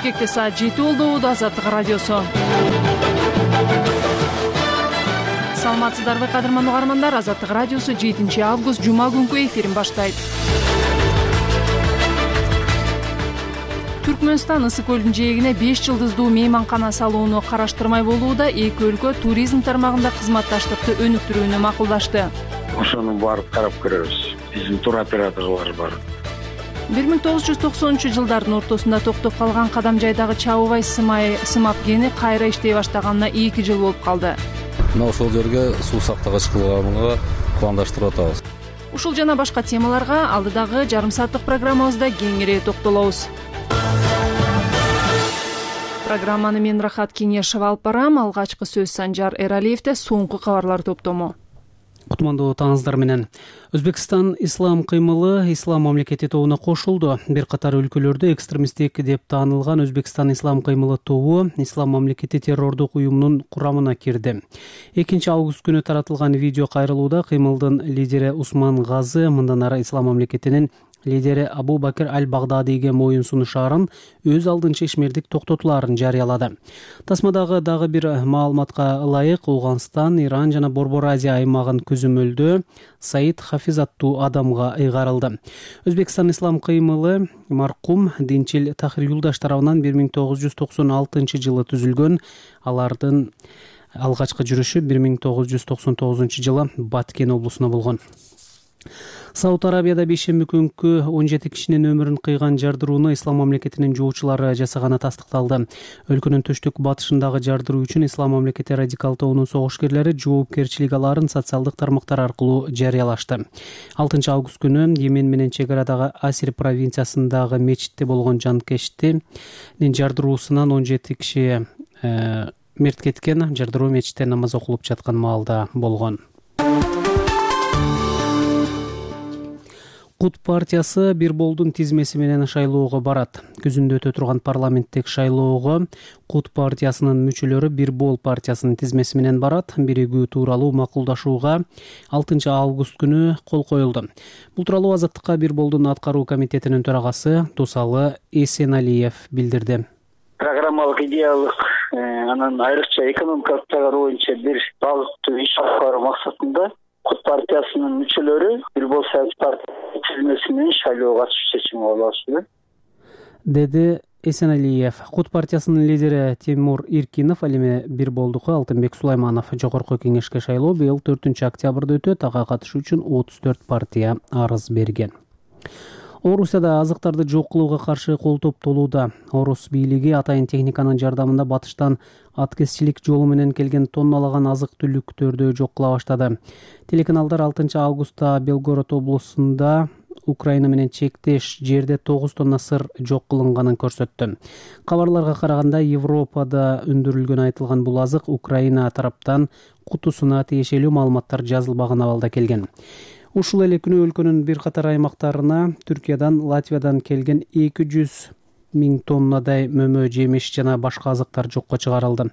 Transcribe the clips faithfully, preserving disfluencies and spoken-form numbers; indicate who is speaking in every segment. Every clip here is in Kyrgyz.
Speaker 1: Бишкекте саат жети болду. Азаттык радиосу. Саламатсыздарбы кадырман угармандар. Азаттык радиосу жетинчи август жума күнкү эфирин баштайт. Түркмөнстан Ысык көлдүн жээгине беш жылдыздуу мейманкана салууну караштырмай болууда. Эки өлкө туризм тармагында кызматташтыкты өнүктүрүүнү макулдашты.
Speaker 2: Ошону барып карап көрөбүз. Биздин туроператорлор бар.
Speaker 1: бир миң тогуз жүз токсонунчу жылдардын ортосунда токтоп калган Кадамжайдагы Чабыбай сымай сымап кени кайра иштей баштаганына эки жыл болуп калды.
Speaker 3: Мына ошол жерге суу сактагыч кылганга кубандаштырып атабыз.
Speaker 1: Ушул жана башка темаларга алдыдагы жарым сааттык программабызда кеңири токтолобуз. Программаны мен Рахат Кеңешова алып барам. Алгачкы сөз Санжар Эралиевде, соңку кабарлар топтому.
Speaker 4: Кутмандуу таңыздар менен. Өзбекстан ислам кыймылы ислам мамлекети тобуна кошулду. Бир катар өлкөлөрдө экстремисттик деп таанылган Өзбекстан ислам кыймылы тобу ислам мамлекети террордук уюмунун курамына кирди. экинчи август күнү таратылган видео кайрылууда кыймылдын лидери Усман Газы мындан ары ислам мамлекетинин лидери Абу Бакир аль-Багдадиге моюн сунушаарын өз алдынча ишмердик токтотулаарын жарыялады. Тасмадагы дагы бир маалыматка ылайык Ауганстан, Иран жана Борбор Азия аймагын көзөмөлдөө Саид Хафиз аттуу адамга ыйгарылды. Өзбекстан ислам кыймылы маркум Динчил Тахир Юлдаш тарабынан бир миң тогуз жүз токсон алтынчы жылы түзүлгөн. Алардын алгачкы жүрүшү бир миң тогуз жүз токсон тогузунчу жылы Баткен облусуна болгон. Сауд Арабияда бейшемби күнкү он жети кишинин өмүрүн кыйган жардырууну ислам мамлекетинин жоочулары жасаганы тастыкталды. Өлкөнүн түштүк батышындагы жардыруу үчүн ислам мамлекети радикал тобунун согушкерлери жоопкерчилик алаарын социалдык тармактар аркылуу жарыялашты. алтынчы август күнү Йемен менен чек арадагы Асир провинциясындагы мечитте болгон жанкештин жардыруусунан он жети киши э, мерт кеткен. Жардыруу мечитте намаз окулуп жаткан маалда болгон. Кут партиясы бир болдун тизмеси менен шайлоого барат. Күзүндө өтө турган парламенттик шайлоого Кут партиясынын мүчөлөрү бир бол партиясынын тизмеси менен барат. Биригүү тууралуу макулдашууга алтынчы август күнү кол коюлду. Бул тууралуу Азаттыкка бир болдун аткаруу комитетинин төрагасы Тусалы Эсеналиев билдирди.
Speaker 5: Программалык идеялык анан айрыкча экономикалык тагыр боюнча бир багыттуу иш алып баруу максатында Кут партиясынын мүчөлөрү бир бол саясий партия тизмеси менен шайлоого катышуу чечими кабыл алышты,
Speaker 4: деди Эсеналиев. Кут партиясынын лидери Тимур Иркинов ал эми бир болдуку Алтынбек Сулайманов жогорку кеңешке шайлоо быйыл төртүнчү октябрда өтөт. Ага катышуу үчүн отуз төрт партия арыз берген. Орусияда азыктарды жок кылууга каршы кол топтолууда. Орус бийлиги атайын техниканын жардамында батыштан аткезчилик жолу менен келген тонналаган азык-түлүктөрдү жок кыла баштады. Телеканалдар алтынчы августта Белгород облусунда Украина менен чектеш жерде тогуз тонна сыр жок кылынганын көрсөттү. Кабарларга караганда Европада өндүрүлгөн айтылган бул азык Украина тараптан кутусуна тиешелүү маалыматтар жазылбаган абалда келген. Ушул эле күнү өлкөнүн бир катар аймактарына Түркиядан, Латвиядан келген эки жүз миң тоннадай мөмө, жемиш жана башка азыктар жокко чыгарылды.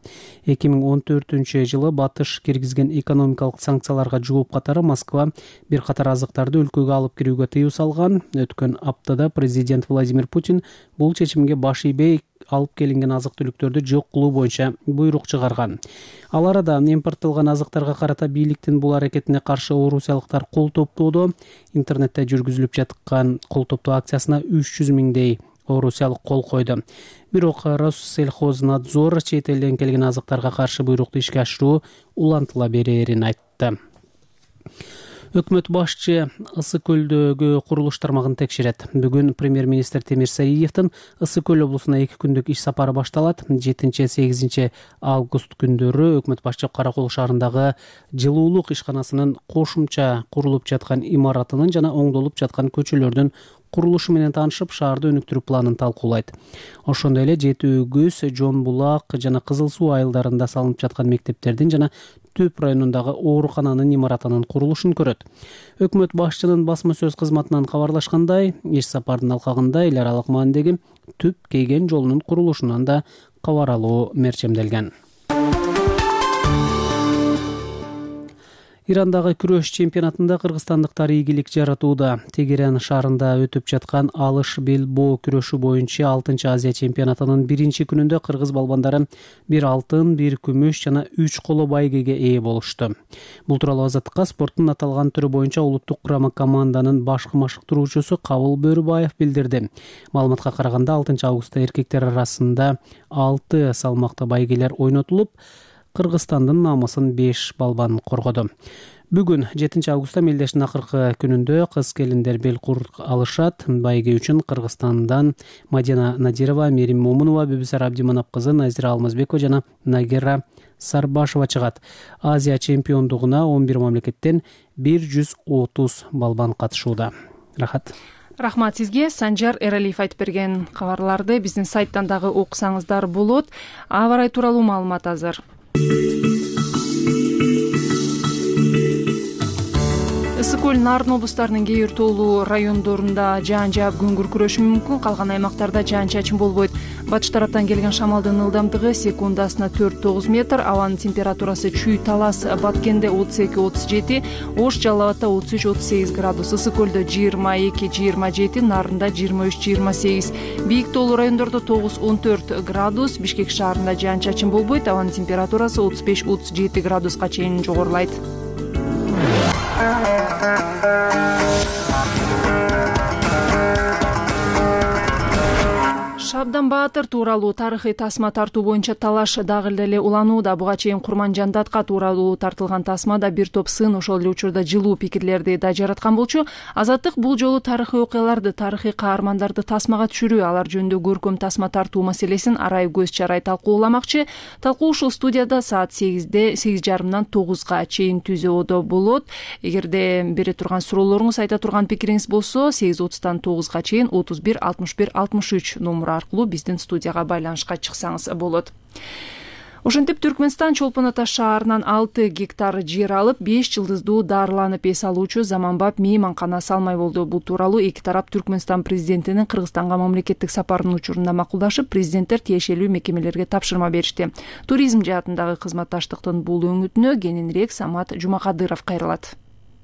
Speaker 4: эки миң он төртүнчү жылы батыш киргизген экономикалык санкцияларга жооп катары Москва бир катар азыктарды өлкөгө алып кирүүгө тыюу салган. Өткөн аптада президент Владимир Путин бул чечимге баш ийбей алып келинген азык-түлүктөрдү жок кылуу боюнча буйрук чыгарган. Ал арада импорттолгон азыктарга карата бийликтин бул аракетине каршы орусиялыктар кол топтоодо. Интернетте жүргүзүлүп жаткан кол топтоо акциясына үч жүз миңдей орусиялык кол койду. Бирок Россельхознадзор чет элден келген азыктарга каршы буйрукту ишке ашыруу улантыла берерин айтты. Өкмөт башчы Ысык көлдөгү курулуш тармагын текшерет. Бүгүн премьер-министр Темир Сариевдин Ысык көл облусуна эки күндүк иш сапары башталат. жетинчи сегизинчи август күндөрү өкмөт башчы Каракол шаарындагы жылуулук ишканасынын кошумча курулуп жаткан имаратынын жана оңдолуп жаткан көчөлөрдүн курулушу менен таанышып, шаарды өнүктүрүү планын талкуулайт. Ошондой эле Жети Өгүз, Жон Булак жана Кызыл суу айылдарында салынып жаткан мектептердин жана Төп районундагы оорукананын имаратынын курулушун көрөт. Өкмөт башчынын басма сөз кызматынан кабарлашкандай, иш сапардын алкагында эл аралык маанидеги Түп Кейген жолунун курулушунан да кабар алуу мерчемделген. Ирандагы күрөш чемпионатында кыргызстандыктар ийгилик жаратууда. Тегеран шаарында өтүп жаткан алыш бел боо күрөшү боюнча алтынчы Азия чемпионатынын биринчи күнүндө кыргыз балбандары бир алтын, бир күмүш жана үч коло байгеге ээ болушту. Бул тууралуу Азаттыкка спорттун аталган түрү боюнча улуттук курама команданын башкы машыктыруучусу Кабыл Бөрүбаев билдирди. Маалыматка караганда алтынчы августта эркектер арасында алты салмакта байгелер ойнотулуп, Кыргызстандын намысын беш балбан коргоду. Бүгүн жетинчи августта мелдештин акыркы күнүндө кыз келиндер бел кур алышат. Байге үчүн Кыргызстандан Мадина Надирова, Мерим Момунова, Бүбүсар Абдиманап кызы Назира Алмазбекова жана Нагира Сарбашева чыгат. Азия чемпиондугуна он бир мамлекеттен бир жүз отуз балбан катышууда. Рахат.
Speaker 1: Рахмат сизге. Санжар Эралиев айтып берген кабарларды биздин сайттан дагы окусаңыздар болот. Аба ырайы тууралуу маалымат азыр. Ысык көл, Нарын облустарынын кээ бир тоолуу райондорунда жаан жаап күн күркүрөшү мүмкүн. Калган аймактарда жаан-чачын болбойт. Батыш тараптан келген шамалдын ылдамдыгы секундасына төрт тогуз метр, абанын температурасы Чүй Талас Баткенде отуз эки отуз жети, Ош Жалал Абадта отуз үч отуз сегиз градус, Ысык көлдө жыйырма эки жыйырма жети, Нарында жыйырма үч жыйырма сегиз, бийик тоолуу райондордо тогуз он төрт градус, Бишкек шаарында жаан-чачын болбойт, абанын температурасы отуз беш отуз жети градуска чейин жогорулайт. Шабдан Баатыр тууралуу тарыхый тасма тартуу боюнча талаш дагы эле уланууда. Буга чейин Курманжандатка тууралуу тартылган тасмада бир топ сын ошол эле учурда жылуу пикирлерди да жараткан болчу. Азаттык бул жолу тарыхый окуяларды, тарыхый каармандарды тасмага түшүрүү, алар жөнүндө көркөм тасма тартуу маселесин арай көз чарай талкууламакчы. Талкуу ушул студияда саат сегизде сегиз жарымдан тогузга чейин түзөөдө болот. Эгерде бере турган суроолоруңуз, айта турган пикириңиз болсо, сегиз отуздан тогузга чейин отуз бир алтымыш бир алтымыш үч номуру аркылуу биздин студияга байланышка чыксаңыз болот. Ошентип Түркмөнстан Чолпон Ата шаарынан алты гектар жер алып, беш жылдыздуу дарыланып эс алуучу заманбап мейманкана салмай болду. Бул тууралуу эки тарап Түркмөнстан президентинин Кыргызстанга мамлекеттик сапарынын учурунда макулдашып, президенттер тиешелүү мекемелерге тапшырма беришти. Туризм жаатындагы кызматташтыктын бул өңүтүнө кененирээк Самат Жумакадыров кайрылат.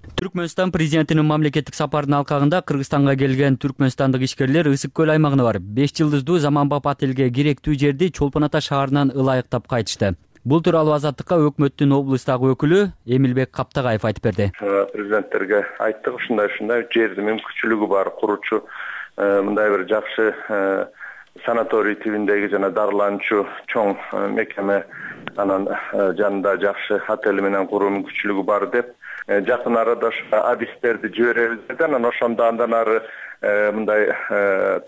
Speaker 6: Түркмөнстан президентинин мамлекеттик сапарынын алкагында Кыргызстанга келген түркмөнстандык ишкерлер Ысык көл аймагына барып, беш жылдыздуу заманбап отелге керектүү жерди Чолпон Ата шаарынан ылайыктап кайтышты. Бул тууралуу Азаттыкка өкмөттүн облустагы өкүлү Эмилбек Каптагаев айтып берди.
Speaker 7: Президенттерге айттык, ушундай ушундай жерди мүмкүнчүлүгү бар куручу мындай бир жакшы санаторий тибиндеги жана дарыланчу чоң мекеме анан жанында жакшы отель менен куруу мүмкүнчүлүгү бар деп жакын арада адистерди жиберебиз деди. Анан ошондо андан ары мындай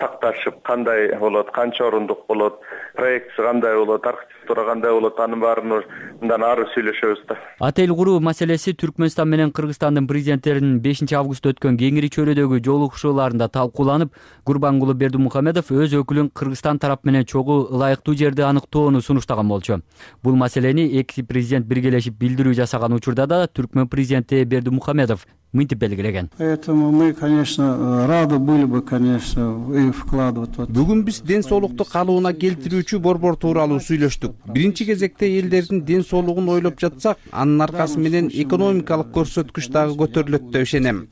Speaker 7: такташып кандай болот, канча орундук болот, проектси кандай болот, архитектура кандай болот, анын баарын мындан ары сүйлөшөбүз да.
Speaker 6: Отель куруу маселеси Түркмөнстан менен Кыргызстандын президенттеринин бешинчи августта өткөн кеңири чөйрөдөгү жолугушууларында талкууланып, Гурбангулы Бердимухамедов өз өкүлүн Кыргызстан тарап менен чогуу ылайыктуу жерди аныктоону сунуштаган болчу. Бул маселени эки президент биргелешип билдирүү жасаган учурда да Түркмөн президенти Бердимухамедов мынтип белгилеген.
Speaker 8: Поэтому мы, конечно, рады были бы, конечно, и вкладывать.
Speaker 9: Бүгүн биз ден соолукту калыбына келтирүүчү борбор тууралуу сүйлөштүк. Биринчи кезекте элдердин ден соолугун ойлоп жатсак, анын аркасы менен экономикалык көрсөткүч дагы көтөрүлөт деп ишенем.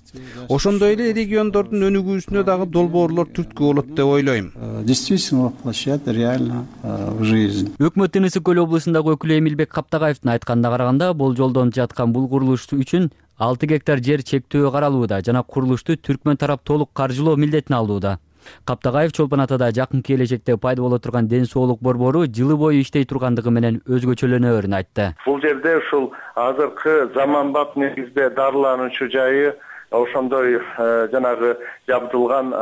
Speaker 9: Ошондой эле региондордун өнүгүүсүнө дагы долбоорлор түрткү болот деп ойлойм.
Speaker 8: Действительно воплощать реально в жизнь.
Speaker 6: Өкмөттүн Ысык көл облусундагы өкүлү Эмилбек Каптагаевдин айтканына караганда, болжолдонуп жаткан бул курулуш үчүн алты гектар жер чектөө каралууда жана курулушту Түркмөн тарап толук каржылоо милдетин алууда. Каптагаев Чолпон Атада жакын келечекте пайда боло турган ден соолук борбору жылы бою иштей тургандыгы менен өзгөчөлөнөөрүн айтты.
Speaker 7: Бул жерде ушул азыркы заманбап негизде дарылануучу жайы, ошондой жанагы жабдылган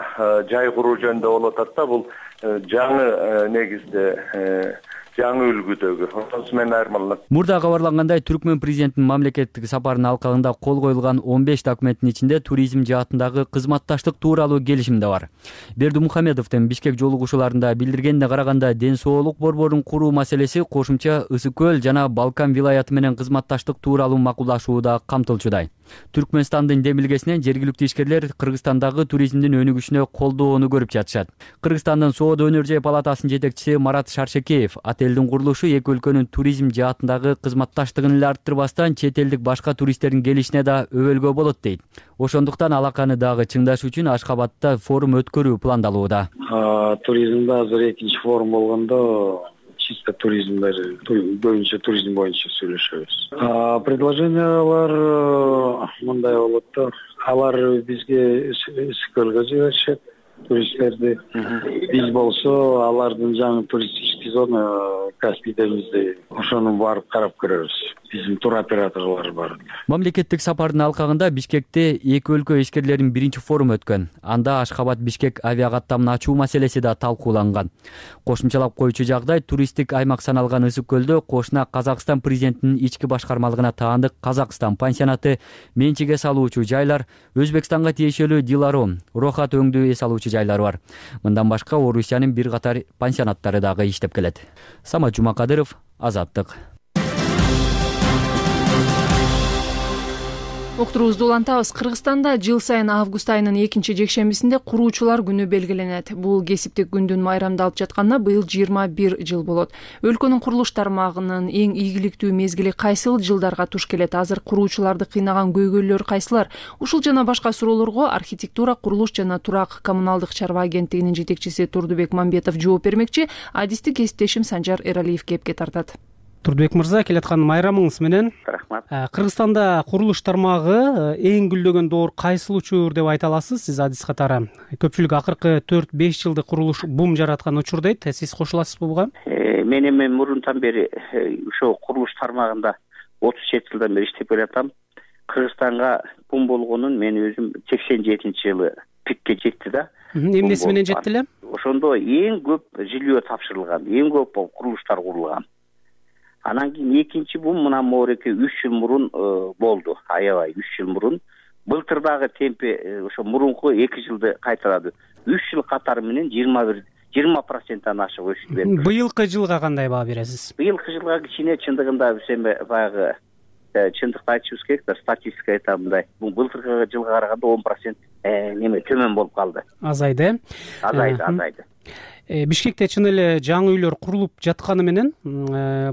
Speaker 7: жай куруу жөнүндө болуп атат да. Бул жаңы негизде жаңы үлгүдөгү ошонусу менен айырмаланат.
Speaker 6: Мурда кабарлангандай, Түркмөн президентинин мамлекеттик сапарынын алкагында кол коюлган он беш документтин ичинде туризм жаатындагы кызматташтык тууралуу келишим да бар. Бердимухамедовдун Бишкек жолугушууларында билдиргенине караганда, ден соолук борборун куруу маселеси кошумча Ысык көл жана Балкан вилаяты менен кызматташтык тууралуу макулдашууда камтылчудай. Түркмөнстандын демилгесинен жергиликтүү ишкерлер Кыргызстандагы туризмдин өнүгүшүнө колдоону көрүп жатышат. Кыргызстандын суу соода өнөр жай палатасынын жетекчиси Марат Шаршекеев отелдин курулушу эки өлкөнүн туризм жаатындагы кызматташтыгын эле арттырбастан чет элдик башка туристтердин келишине да өбөлгө болот дейт. Ошондуктан алаканы дагы чыңдаш үчүн Ашкабадта форум өткөрүү пландалууда.
Speaker 2: Туризмде азыр экинчи форум болгондо чисто туризмдер боюнча туризм боюнча сүйлөшөбүз. Предложениялар мындай болот да, алар бизге Скөлгө жиберишет туристтерди. Биз болсо алардын жаңы туристтик сезону Каспий деңизде ошону барып карап көрөбүз. Биздин туроператорлор бар.
Speaker 6: Мамлекеттик сапардын алкагында Бишкекте эки өлкө ишкерлеринин биринчи форуму өткөн. Анда Ашкабад Бишкек авиакаттамын ачуу маселеси да талкууланган. Кошумчалап коючу жагдай туристтик аймак саналган Ысык көлдө кошуна Казакстан президентинин ички башкармалыгына таандык Казакстан пансионаты, менчиге салуучу жайлар, Өзбекстанга тиешелүү Диларо, Рохат өңдүү эс алуучу жайлар бар. Мындан башка Орусиянын бир катар пансионаттары дагы иштеп келет. Самат Жумакадыров, Азаттык.
Speaker 1: Уктуруубузду улантабыз. Кыргызстанда жыл сайын август айынын экинчи жекшембисинде куруучулар күнү белгиленет. Бул кесиптик күндүн майрамдалып жатканына быйыл жыйырма бир жыл болот. Өлкөнүн курулуш тармагынын эң ийгиликтүү мезгили кайсыл жылдарга туш келет? Азыр куруучуларды кыйнаган көйгөйлөр кайсылар? Ушул жана башка суроолорго архитектура, курулуш жана турак коммуналдык чарба агенттигинин жетекчиси Турдубек Мамбетов жооп бермекчи. Адисти кесиптешим Санжар Эралиев кепке тартат.
Speaker 4: Турдубек мырза, келаткан майрамыңыз менен.
Speaker 5: Рахмат.
Speaker 4: Кыргызстанда курулуш тармагы эң гүлдөгөн доор кайсыл учур деп айта аласыз сиз адис катары? Көпчүлүк акыркы төрт беш жылдык курулуш бум жараткан учур дейт. Сиз кошуласызбы буга?
Speaker 5: Мен эми мурунтан бери ошо курулуш тармагында отуз жети жылдан бери иштеп келатам. Кыргызстанга бум болгонун мен өзүм сексен жетинчи жылы пикке жетти да.
Speaker 4: Эмнеси менен жетти эле?
Speaker 5: Ошондо эң көп жилөө тапшырылган, эң көп курулуштар курулган. Анан кийин экинчи бум мына моореке үч жыл мурун болду. Аябай үч жыл мурун. Былтыр дагы темпи ошо мурунку эки жылды кайталады. үч жыл катары менен жыйырма бир жыйырма проценттен ашык өсүп берди.
Speaker 4: Быйылкы жылга кандай баа бересиз?
Speaker 5: Быйылкы жылга кичине чындыгында биз эми баягы чындыкты айтышыбыз керек да, статистика айтам мындай. Бул былтыркы жылга караганда он процент неме төмөн болуп калды.
Speaker 4: Азайды.
Speaker 5: Азайды, азайды.
Speaker 4: Бишкекте чын эле жаңы үйлөр курулуп жатканы менен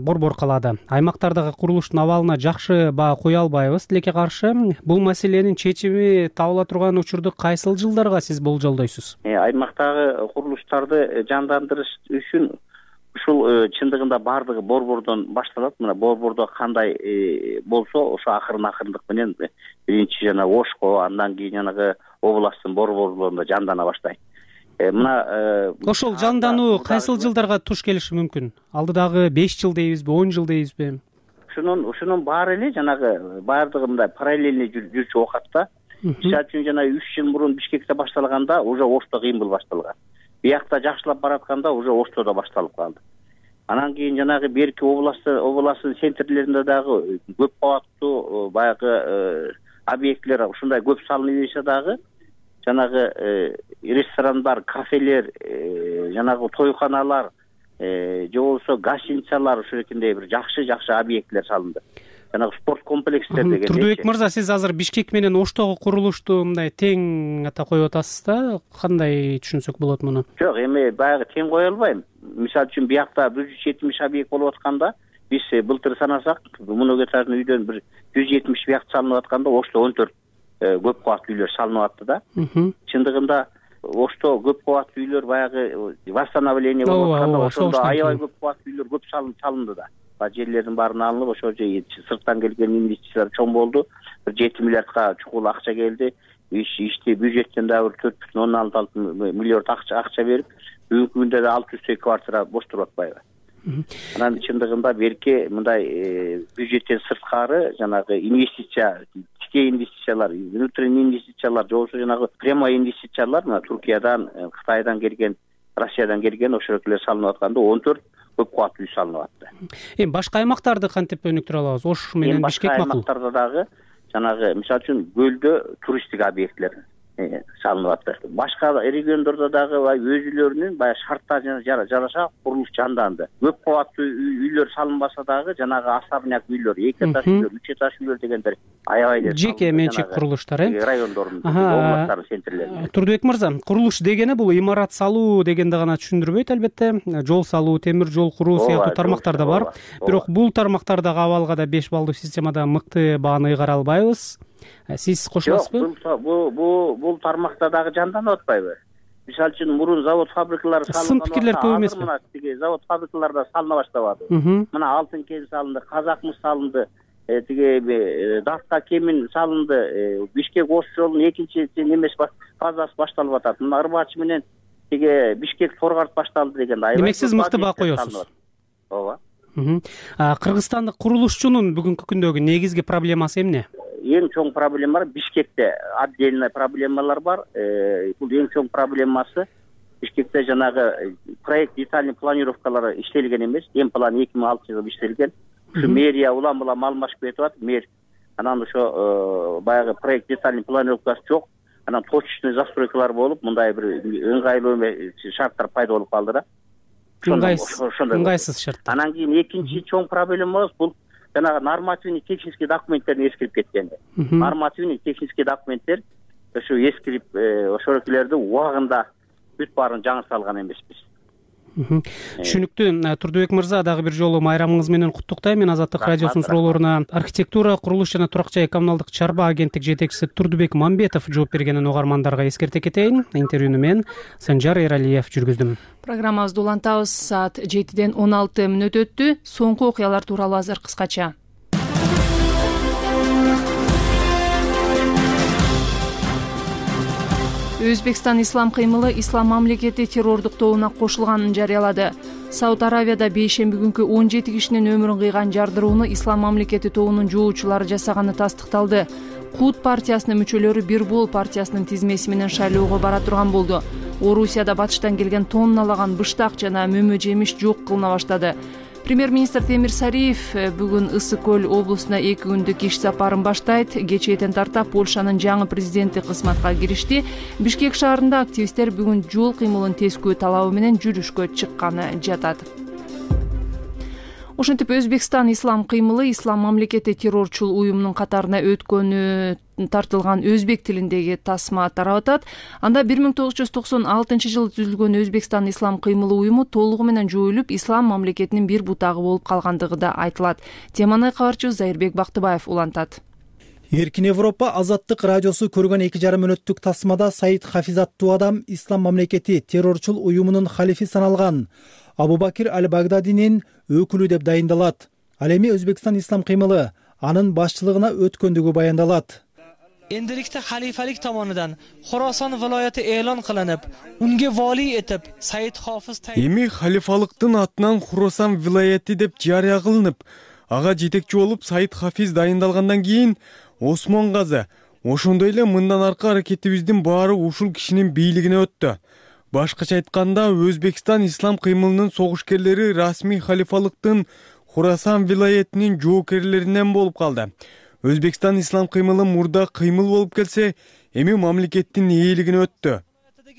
Speaker 4: борбор калады. Аймактардагы курулуштун абалына жакшы баа кое албайбыз. Тилекке каршы бул маселенин чечими табыла турган учурду кайсыл жылдарга сиз болжолдойсуз?
Speaker 5: Аймактагы курулуштарды жандандырыш үчүн ушул чындыгында баардыгы борбордон башталат. Мына борбордо кандай болсо, ошо акырын акырындык менен биринчи жана Ошко, андан кийин жанагы областтын борборлорунда жандана баштайт. Мына
Speaker 4: ошол жандануу кайсыл жылдарга туш келиши мүмкүн? Алдыдагы беш жыл дейбизби, он жыл дейбизби?
Speaker 5: Ушунун ушунун баары эле жанагы баардыгы мындай параллельный жүрчү оокатта. Мисалы үчүн жана үч жыл мурун Бишкекте башталганда уже Ошто кыймыл башталган. Биякта жакшылап баратканда уже Оштодо башталып калды. Анан кийин жанагы берки областы областын центрлеринде дагы көп кабаттуу баягы объектлер ушундай көп салына берсе дагы жанагы ресторандар, кафелер, жанагы тойканалар, же болбосо гостиницалар ушул экендей бир жакшы-жакшы объектлер салынды. Жанагы спорт комплекстер деген.
Speaker 4: Турдубек мырза, сиз азыр Бишкек менен Оштогу курулушту мындай тең ата коюп атасыз да, кандай түшүнсөк болот муну?
Speaker 5: Жок, эми баягы тең кое албайм. Мисалы үчүн биякта бир жүз жетимиш объект болуп атканда, биз былтыр санасак, муну кетардын үйдөн бир жүз жетимиш биякт салынып атканда, Ошто он төрт көп кабаттуу үйлөр салынып атты да. Чындыгында Ошто көп кабаттуу үйлөр баягы восстановление болуп атканда, ошондо аябай көп кабаттуу үйлөр көп салынды да. Жерлердин баарын алынып, ошо сырттан келген инвестициялар чоң болду. бир жети миллиардка чукул акча келди. Ишти бюджеттен дагы бир төрт бүтүн ондон алты миллиард акча акча берип, бүгүнкү күндө да алты жүздөй квартира бош туруп атпайбы? Анан чындыгында берки мындай бюджеттен сырткары жанагы инвестиция, тикей инвестициялар, внутренний инвестициялар, же болбосо жанагы прямой инвестициялар, мына Туркиядан, Кытайдан келген, Россиядан келген ошолор салынып атканда он төрт көп кабаттуу үй салынып атты.
Speaker 4: Эми башка аймактарды кантип өнүктүрө алабыз? Ош менен Бишкек макул.
Speaker 5: Башка аймактарда дагы жанагы мисалы үчүн көлдө туристтик объекттер, салынып атты. Башка региондордо дагы өзүлөрүнүн баягы шарттарына жараша курулуш жанданды. Көп кабаттуу үйлөр салынбаса дагы жанагы особняк үйлөр, эки этаж үйлөр, үч этаж үйлөр дегендер аябай эле
Speaker 4: жеке менчик курулуштар э
Speaker 5: райондордун областтардын центрлеринде.
Speaker 4: Турдубек мырза, курулуш дегени бул имарат салуу дегенди гана түшүндүрбөйт албетте. Жол салуу, темир жол куруу сыяктуу тармактар да бар. Бирок бул тармактардагы абалга да беш баллдуу системада мыкты бааны ыйгара албайбыз. Сиз кошуласызбы?
Speaker 5: Бул бул бул тармакта дагы жанданып атпайбы? Мисалы үчүн мурун завод фабрикалар салынган.
Speaker 4: Сын пикирлер көп эмеспи?
Speaker 5: Мына тиги завод фабрикаларда салына баштабады. Мына Алтын кен салынды, Казакмыс салынды, тиги Дафка кемин салынды, Бишкек ош жолунун экинчи немеси фазасы башталып атат. Мына Ырбач менен тиги Бишкек Торгарт башталды деген.
Speaker 4: Демек сиз мыкты баа коесуз.
Speaker 5: Ооба.
Speaker 4: Кыргызстандык курулушчунун бүгүнкү күндөгү негизги проблемасы эмне?
Speaker 5: Эң чоң проблема Бишкекте отдельный проблемалар бар. Бул эң чоң проблемасы Бишкекте жанагы проект детальный планировкалары иштелген эмес. Эм план эки миң алтынчы жылы иштелген. Ушу мэрия улам-улам алмашып кетип атат. Мэр анан ошо баягы проект детальный планировкасы жок. Анан точечный застройкалар болуп, мындай бир ыңгайлуу шарттар пайда болуп калды да.
Speaker 4: Ыңгайсыз шарт.
Speaker 5: Анан кийин экинчи чоң проблемабыз бул жанагы нормативный технический документтердин эскирип кеткени. Нормативный технический документтер ошо эскирип, ошолордун убагында бүт баарын жаңы салган эмеспиз.
Speaker 4: Түшүнүктүү. Турдубек мырза, дагы бир жолу майрамыңыз менен куттуктайм. Мен Азаттык радиосунун суроолоруна архитектура, курулуш жана турак жай коммуналдык чарба агенттик жетекчиси Турдубек Мамбетов жооп бергенин угармандарга эскерте кетейин. Интервьюну мен Санжар Эралиев жүргүздүм.
Speaker 1: Программабызды улантабыз. Саат жетиден он алты мүнөт өттү. Соңку окуялар тууралуу азыр кыскача. Өзбекстан ислам кыймылы ислам мамлекети террордук тобуна кошулганын жарыялады. Сауд Аравияда бейшемби күнкү он жети кишинин өмүрүн кыйган жардырууну ислам мамлекети тобунун жоочулары жасаганы тастыкталды. Кут партиясынын мүчөлөрү Бирбол партиясынын тизмеси менен шайлоого бара турган болду. Орусияда батыштан келген тонналаган быштак жана мөмө жемиш жок кылына баштады. Премьер-министр Темир Сариев бүгүн Ысык көл облусуна эки күндүк иш сапарын баштайт. Кечээден тарта Польшанын жаңы президенти кызматка киришти. Бишкек шаарында активисттер бүгүн жол кыймылын тескөө талабы менен жүрүшкө чыкканы жатат. Ошентип Өзбекстан ислам кыймылы ислам мамлекети террорчул уюмунун катарына өткөнү тартылган өзбек тилиндеги тасма тарап атат. Анда бир миң тогуз жүз токсон алтынчы жылы түзүлгөн Өзбекстан ислам кыймылы уюму толугу менен жоюлуп, ислам мамлекетинин бир бутагы болуп калгандыгы да айтылат. Теманы кабарчыбыз Зайырбек Бактыбаев улантат.
Speaker 10: Эркин Европа Азаттык радиосу көргөн эки жарым мүнөттүк тасмада Саид Хафиз аттуу адам ислам мамлекети террорчул уюмунун халифи саналган Абу-Бакир аль-Багдадинин өкүлү деп дайындалат. Ал эми Өзбекстан ислам кыймылы анын башчылыгына өткөндүгү баяндалат.
Speaker 11: Endilikda xalifalik tomonidan Xorason viloyati e'lon qilinib, unga vali etib Said Hofiz
Speaker 12: Эми халифалыктын атынан Xorason viloyati деп жарыя кылынып, ага жетекчи болуп Саид Хафиз дайындалгандан кийин Осмон газы, ошондой эле мындан аркы аракетибиздин баары ушул кишинин бийлигине өттү. Башкача айтканда, Өзбекстан ислам кыймылынын согушкерлери расмий халифалыктын Xorason viloyatинин жоокерлеринен болуп калды. Өзбекстан ислам кыймылы мурда кыймыл болуп келсе, эми мамлекеттин ээлигине өттү.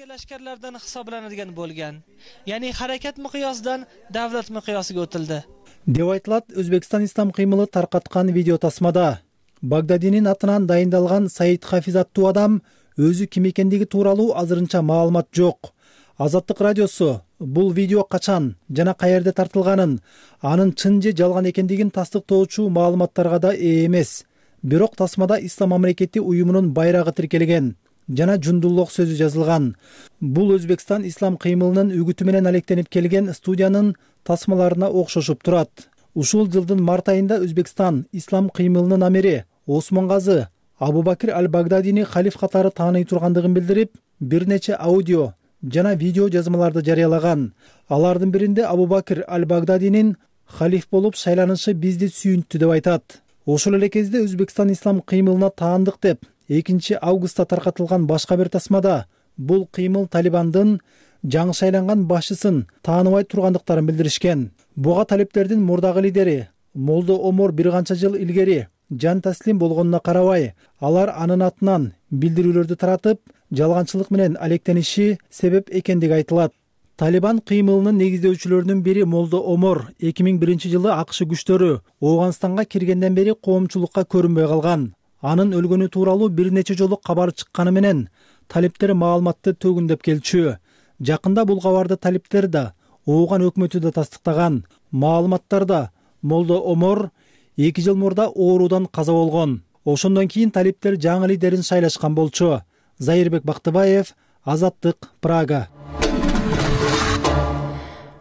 Speaker 11: Lashkarlardan hisoblanadigan bo'lgan. Ya'ni harakat miqyosidan davlat miqyosiga o'tildi.
Speaker 10: Деп айтылат Өзбекстан ислам кыймылы таркаткан видео тасмада. Багдадинин атынан дайындалган Саид Хафиз аттуу адам өзү ким экендиги тууралуу азырынча маалымат жок. Азаттык радиосу бул видео качан жана каерде тартылганын, анын чын же жалган экендигин тастыктоочу маалыматтарга да ээ эмес. Бирок тасмада ислам мамлекети уюмунун байрагы тиркелген жана Жундуллок сөзү жазылган. Бул Өзбекстан ислам кыймылынын үгүтү менен алектенип келген студиянын тасмаларына окшошуп турат. Ушул жылдын март айында Өзбекстан ислам кыймылынын амири Осмон газы Абу-Бакир аль-Багдадини халиф катары тааный тургандыгын билдирип, бир нече аудио жана видео жазмаларды жарыялаган. Алардын биринде Абу-Бакир аль-Багдадинин халиф болуп шайланышы бизди сүйүнттү деп айтат. Ошол эле кезде Өзбекстан ислам кыймылына таандык деп экинчи августта таркатылган башка бир тасмада бул кыймыл Талибандын жаңы шайланган башчысын тааныбай тургандыктарын билдиришкен. Буга талиптердин мурдагы лидери Молдо Омор бир канча жыл илгери жан таслим болгонуна карабай, алар анын атынан билдирүүлөрдү таратып, жалганчылык менен алектениши себеп экендиги айтылат. Талибан кыймылынын негиздөөчүлөрүнүн бири Молдо Омор эки миң биринчи жылы АКШ күчтөрү Ооганстанга киргенден бери коомчулукка көрүнбөй калган. Анын өлгөнү тууралуу бир нече жолу кабар чыкканы менен талиптер маалыматты төгүндөп келчү. Жакында бул кабарды талиптер да, Ооган өкмөтү да тастыктаган. Маалыматтарда Молдо Омор эки жыл мурда оорудан каза болгон. Ошондон кийин талиптер жаңы лидерин шайлашкан болчу. Зайырбек Бактыбаев, Азаттык, Прага.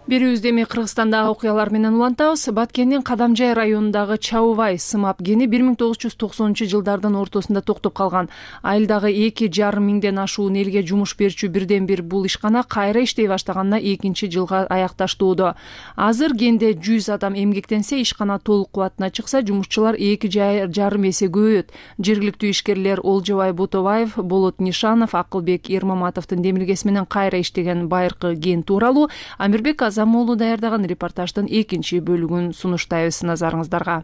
Speaker 1: Берүүбүздө эми Кыргызстандагы окуялар менен улантабыз. Баткендин Кадамжай районундагы Чаубай сымап кени бир миң тогуз жүз токсонунчу жылдардын ортосунда токтоп калган. Айылдагы эки жарым миңден ашуун элге жумуш берчү бирден бир бул ишкана кайра иштей баштаганына экинчи жылга аякташтууда. Азыр кенде жүз адам эмгектенсе, ишкана толук кубатына чыкса, жумушчулар эки жарым эсе көбөйөт. Жергиликтүү ишкерлер Олжобай Ботобаев, Болот Нишанов, Акылбек Эрмаматовдун демилгеси менен кайра иштеген байыркы кен тууралуу Амирбек Замолу даярдаган репортаждын экинчи бөлүгүн сунуштайбыз назарыңыздарга.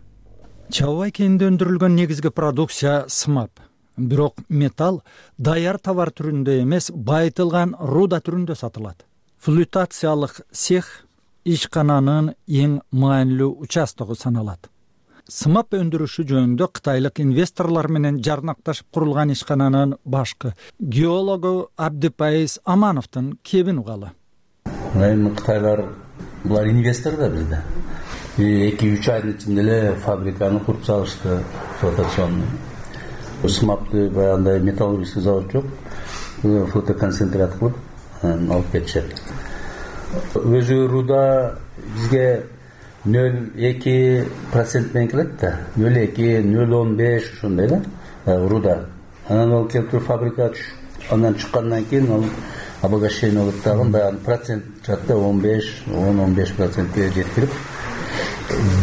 Speaker 13: Чаубай кенинде өндүрүлгөн негизги продукция сымап. Бирок металл даяр товар түрүндө эмес, байытылган руда түрүндө сатылат. Флютациялык цех ишкананын эң маанилүү участогу саналат. Сымап өндүрүшү жөнүндө кытайлык инвесторлор менен жарнакташып курулган ишкананын башкы геологу Абдипайыз Амановдун кебин угалы.
Speaker 14: Эми кытайлар булар инвестор да бизде. эки үч айдын ичинде эле фабриканы куруп салышты, флотационный. Сымапты баягындай металлургический завод жок, флотоконцентрат кылып алып кетишет. Өзү руда бизге нөл эки процент менен келет да, нөл эки, нөл он беш ошондой да руда. Анан ал келип туруп фабрикага түшүп, андан чыккандан кийин ал обогащение болуп дагы баягы процент жатты он беш, он он беш процентке жеткирип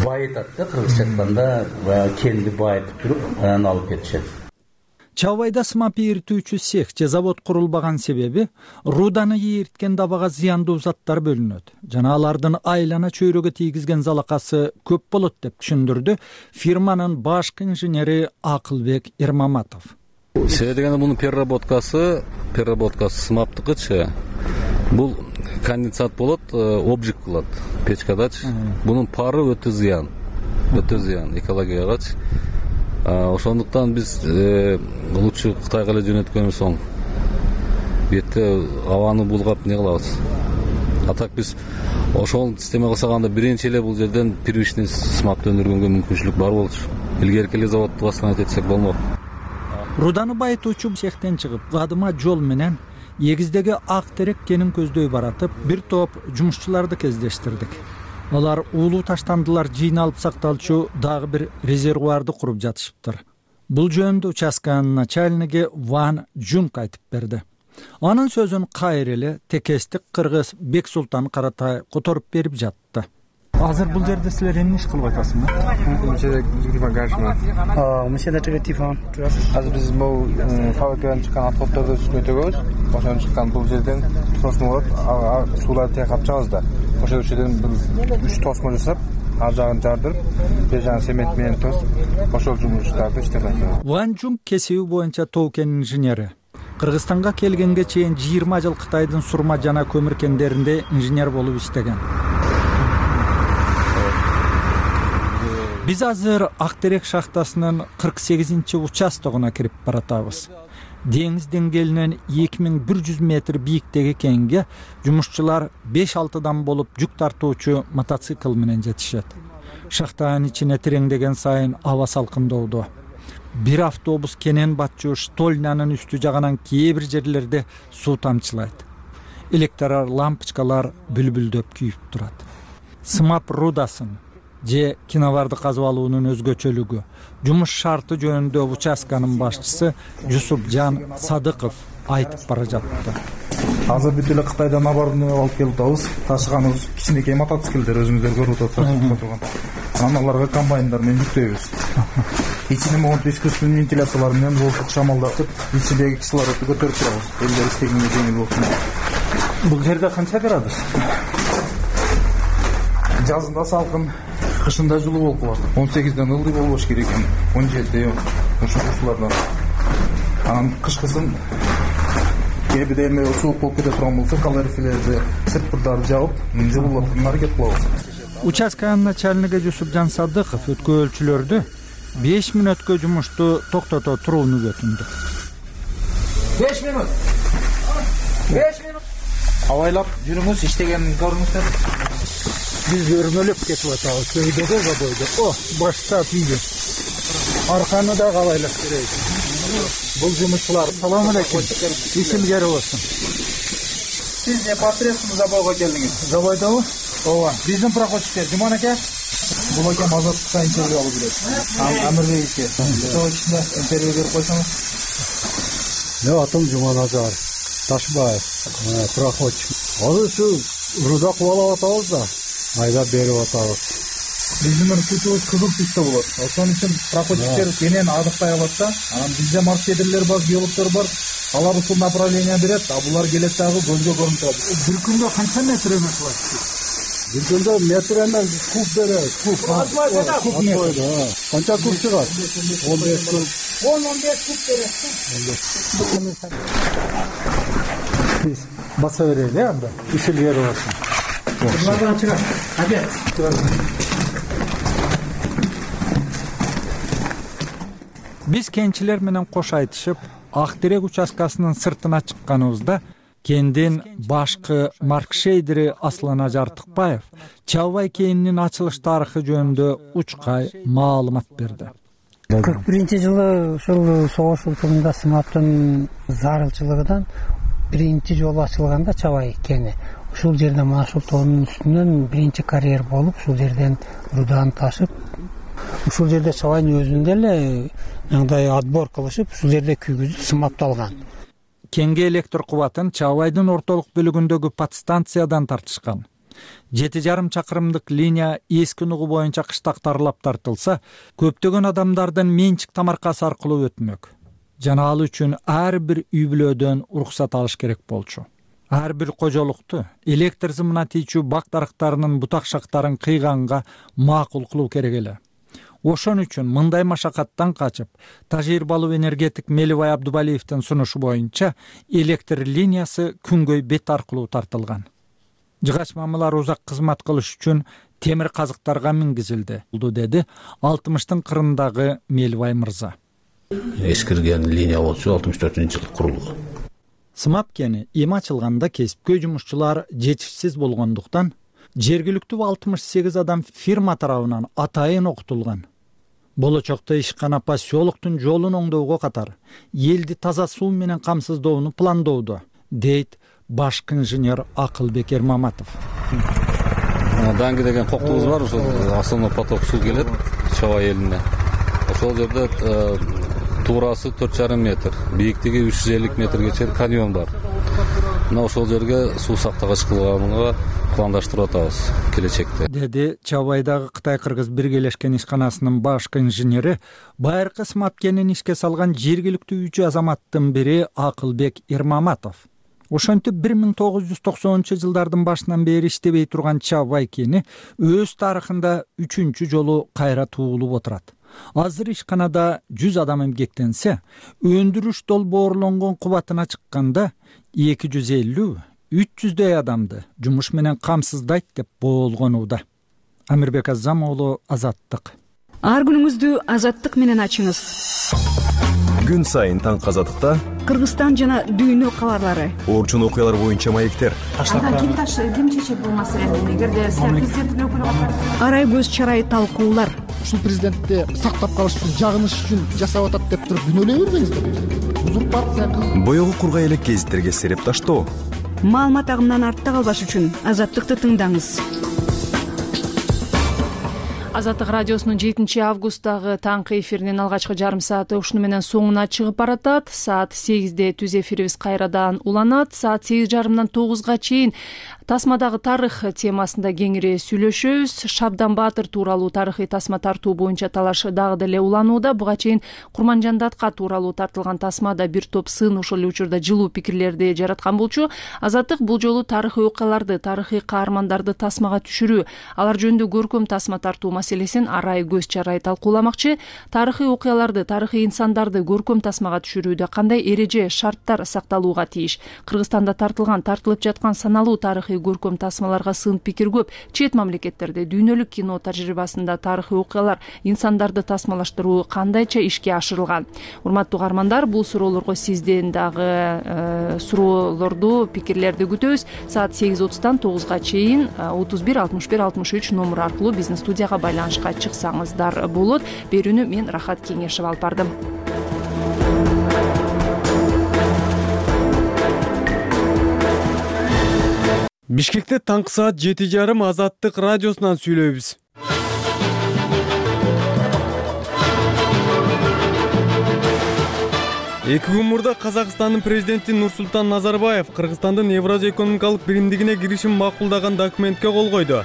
Speaker 14: байытат да, кыргызча айтканда баягы кенди байытып туруп анан алып кетишет.
Speaker 13: Чаубайда сымап ийиртүүчү цех же завод курулбаган себеби руданы ийирткен дабага зыяндуу заттар бөлүнөт жана алардын айлана чөйрөгө тийгизген залакасы көп болот деп түшүндүрдү фирманын башкы инженери Акылбек Эрмаматов.
Speaker 3: Себеби дегенде мунун переработкасы, переработкасы сымаптыкычы. Бул конденсат болот, обжиг кылат печкадачы. Бунун пары өтө зыян. Өтө зыян экологиягачы. Ошондуктан биз лучше Кытайга эле жөнөткөнүбүз оң. Бетте абаны булгап не кылабыз. А так биз ошол система кылсаганда биринчи эле бул жерден первичный сымапты өндүргөнгө мүмкүнчүлүк бар болчу. Илгерки эле заводду бастан этсек болмок.
Speaker 13: Руданы байытуучу цехтен чыгып, кадыма жол менен эгиздеги ак терек кенин көздөй баратып, бир топ жумушчуларды кездештирдик. Алар уулуу таштандылар жыйналып сакталчу дагы бир резервуарды куруп жатышыптыр. Бул жөнүндө участканын начальниги Ван Жунг айтып берди. Анын сөзүн кайра эле текестик кыргыз Бексултан Каратай которуп берип жатты.
Speaker 15: Азыр бул жерде силер эмне иш кылып атасыңар?
Speaker 16: Азыр биз бул фабрикадан чыккан отходдорду үстүнө төгөбүз. Ошондон чыккан бул жерден тосмо болот, сууларды тайкап чыгабыз да. Ошол жерден бир үч тосмо жасап, ар жагын жардырып, бир жагын цемент менен тосуп, ошол жумуштарды иштеп атабыз.
Speaker 13: Ван Жунг кесиби боюнча тоо кен инженери. Кыргызстанга келгенге чейин жыйырма жыл Кытайдын сурма жана көмүр кендеринде инженер болуп иштеген. Биз азыр Актерек шахтасынын кырк сегизинчи участогуна кирип баратабыз. Деңиз деңгээлинен эки миң бир жүз метр бийиктеги кенге жумушчулар беш алтыдан болуп жүк тартуучу мотоцикл менен жетишет. Шахтанын ичине тереңдеген сайын аба салкындоодо. Бир автобус кенен батчу штольнанын үстү жагынан кээ бир жерлерде суу тамчылайт. Электр лампочкалар бүлбүлдөп күйүп турат. Сымап рудасын же киноварды казып алуунун өзгөчөлүгү, жумуш шарты жөнүндө участканын башчысы Жусупжан Садыков айтып бара жатты.
Speaker 16: Азыр бүт эле Кытайдан оборудование алып келип атабыз. Ташыганыбыз кичинекей мотоциклдер өзүңүздөр көрүп атасыздар турган. Анан аларга комбайндар менен жүктөйбүз. Ичине монтаж искусственный вентиляциялар менен воздух шамалдатып, ичиндеги кислородду көтөрүп турабыз. Элдер истегенге жеңил болсун.
Speaker 15: Бул жерде канча градус?
Speaker 16: Жазында салкын, кышында жылуу болуп калат. он сегизден ылдый болбош керек. он жети ошол ушулардан. анан кышкысын кээ бирде эме суук болуп кете турган болсо калориферлерди сеппурдарды жабып жылуулатууга аракет кылабыз.
Speaker 13: Участка начальниги Жусупжан Садыков өткөөлчүлөрдү беш мүнөткө жумушту токтото турууну өтүндү.
Speaker 16: беш мүнөт. беш мүнөт. Абайлап жүрүңүз, иштегенин көрүңүздөр.
Speaker 15: Биз өрмөлөп кетип атабыз. Көйдөдө забойдо. О, баштап үйдө. Арканы да кабайлап берейик. Бул жумушчулар. Салам алейкум. Исимгер болсун.
Speaker 16: Сиз не портреттин забойго келдиңиз?
Speaker 15: Забойдобу?
Speaker 16: Ооба. Биздин проходчиктер Жуман аке. Бул аке Азаттыкка интервью алып жүрөт. Амирбековке. Ошол ичинде интервью берип койсоңуз.
Speaker 15: Мен атым Жуман Азар. Ташбаев. Проходчик. Азыр ушу руда кубалап атабыз да. Айдап берип атабыз.
Speaker 16: Биздин күтүүбүз кызыл түстө болот. Ошон үчүн проходчиктер кенен адыктай алат да. Анан бизде маршрутерлер бар, геологдор бар. Алар ушул направление берет, а булар келет дагы көзгө көрүнүп турат.
Speaker 15: Бир күндө канча метр эме кылат? Бир күндө метр эмес, куб берет. Куб. Куб метр. Канча куб чыгат? он беш куб.
Speaker 16: он он беш куб берет.
Speaker 15: Биз баса берели, анда. Ишилгер болсун.
Speaker 16: Булардан чыгат. Аке.
Speaker 13: Биз кенчилер менен кош айтышып, Ак Терек участкасынын сыртына чыкканыбызда кендин башкы маркшейдери Аслана Жартыкбаев Чабай кенинин ачылыш тарыхы жөнүндө учкай маалымат берди.
Speaker 17: кырк биринчи жылы ушул согуш учурунда сымаптын зарылчылыгынан биринчи жолу ачылганда Чабай кени. Ушул жерде мына ушул тоонун үстүнөн биринчи карьер болуп, ушул жерден руданы ташып, ушул жерде Чабайдын өзүндө эле мындай отбор кылышып, ушул жерде күйгүзүп сымапталган.
Speaker 13: Кенге электр кубатын Чабайдын ортолук бөлүгүндөгү подстанциядан тартышкан. жети жарым чакырымдык линия эски нугу боюнча кыштактарлап тартылса, көптөгөн адамдардын менчик тамаркасы аркылуу өтмөк. Жана ал үчүн ар бир үй бүлөдөн уруксат алыш керек болчу. Ар бир кожолукту электр зымына тийчү бак дарактарынын бутак шактарын кыйганга макул кылуу керек эле. Ошон үчүн мындай машакаттан качып, Тажир Балу энергетик Мелибай Абдубалиевдин сунушу боюнча электр линиясы Күнгөй бет аркылуу тартылган. Жыгач мамылар узак кызмат кылыш үчүн темир казыктарга мингизилди, деди алтымыштын кырындагы Мелибай мырза.
Speaker 14: Эскирген линия болчу алтымыш төртүнчү жылы курулган.
Speaker 13: Сымап кени эми ачылганда кесипкөй жумушчулар жетишсиз болгондуктан жергиликтүү алтымыш сегиз адам фирма тарабынан атайын окутулган. Болочокто ишкана поселоктун жолун оңдоого катар элди таза суу менен камсыздоону пландоодо, дейт башкы инженер Акылбек Эрмаматов.
Speaker 3: Данги деген коктубуз бар, ошол основной поток суу келет Чабай элине. Ошол жерде туурасы төрт жарым метр, бийиктиги үч жүз элүү метрге чейин каньон бар. Мына ошол жерге суу сактагыч кылганга пландаштырып атабыз келечекте,
Speaker 13: деди Чабайдагы Кытай-Кыргыз биргелешкен ишканасынын башкы инженери, байыркы сымап кенин ишке салган жергиликтүү үч азаматтын бири Акылбек Эрмаматов. Ошентип бир миң тогуз жүз токсонунчу жылдардын башынан бери иштебей турган Чабай кени өз тарыхында үчүнчү жолу кайра туулуп отурат. Азыр ишканада жүз адам эмгектенсе, өндүрүш долбоорлонгон кубатына чыкканда эки жүз элүү үч жүздөй адамды жумуш менен камсыздайт деп боолгонууда. Амирбек Азам уулу, Азаттык.
Speaker 18: Ар күнүңүздү Азаттык менен ачыңыз.
Speaker 19: Күн сайын таңкы Азаттыкта
Speaker 18: Кыргызстан жана дүйнө кабарлары,
Speaker 19: орчун окуялар боюнча маектер.
Speaker 18: Ага ким таш ким чечет бул маселени? Эгерде президенттин өкүлү катары арай көз чарай талкуулар.
Speaker 20: Ушул президентти сактап калыш үчүн, жагыныш үчүн жасап атат деп туруп күнөөлөй бербеңиздер. Узурпация кылып,
Speaker 19: боёгу кургай элек гезиттерге сереп таштоо.
Speaker 18: Маалымат агымынан артта калбаш үчүн Азаттыкты тыңдаңыз.
Speaker 1: Азаттык радиосунун жетинчи августтагы таңкы эфиринин алгачкы жарым сааты ушуну менен соңуна чыгып баратат. Саат сегизде түз эфирибиз кайрадан уланат. Саат сегиз жарымдан тогузга чейин Тасмадагы тарых темасында кеңири сүйлөшөбүз. Шабдан Баатыр тууралуу тарыхый тасма тартуу боюнча талаш дагы деле уланууда. Буга чейин Курманжандатка тууралуу тартылган тасмада бир топ сын ошол эле учурда жылуу пикирлерди жараткан болчу. Азаттык бул жолу тарыхый окуяларды, тарыхый каармандарды тасмага түшүрүү, алар жөнүндө көркөм тасма тартуу маселесин арай көз чарай талкууламакчы. Тарыхый окуяларды, тарыхый инсандарды көркөм тасмага түшүрүүдө кандай эреже, шарттар сакталууга тийиш? Кыргызстанда тартылган, тартылып жаткан саналуу тарыхый көркөм тасмаларга сын пикир көп. Чет мамлекеттерде дүйнөлүк кино тажрыйбасында тарыхый окуялар, инсандарды тасмалаштыруу кандайча ишке ашырылган? Урматтуу каармандар, бул суроолорго сизден дагы э, суроолорду, пикирлерди күтөбүз. Саат сегиз отуздан тогузга чейин отуз бир алтымыш бир алтымыш үч номуру аркылуу биздин студияга байланышка чыксаңыздар болот. Берүүнү мен Рахат Кеңешева алып бардым.
Speaker 12: Бишкекте таңкы саат жети жарым Азаттык радиосунан сүйлөйбүз. Эки күн мурда Казакстандын президенти Нурсултан Назарбаев Кыргызстандын Евразия экономикалык биримдигине киришин макулдаган документке кол койду.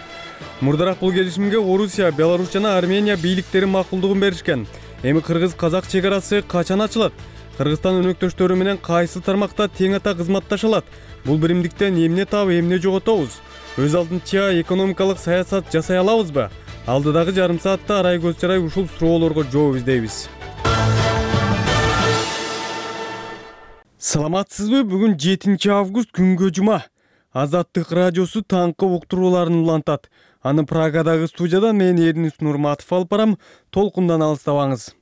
Speaker 12: Мурдараак бул келишимге Орусия, Беларусь жана Армения бийликтери макулдугун беришкен. Эми кыргыз-казак чек арасы качан ачылат? Кыргызстан өнөктөштөрү менен кайсы тармакта тең ата кызматташалат? Бул биримдиктен эмне таап, эмне жоготобуз? Өз алдынча экономикалык саясат жасай алабызбы? Алдыдагы жарым саатта арай көз чарай ушул суроолорго жооп издейбиз. Саламатсызбы? Бүгүн жетинчи август, күнгө жума. Азаттык радиосу таңкы уктурууларын улантат. Аны Прагадагы студиядан мен Эрнис Нурматов алып барам. Толкундан алыстабаңыз.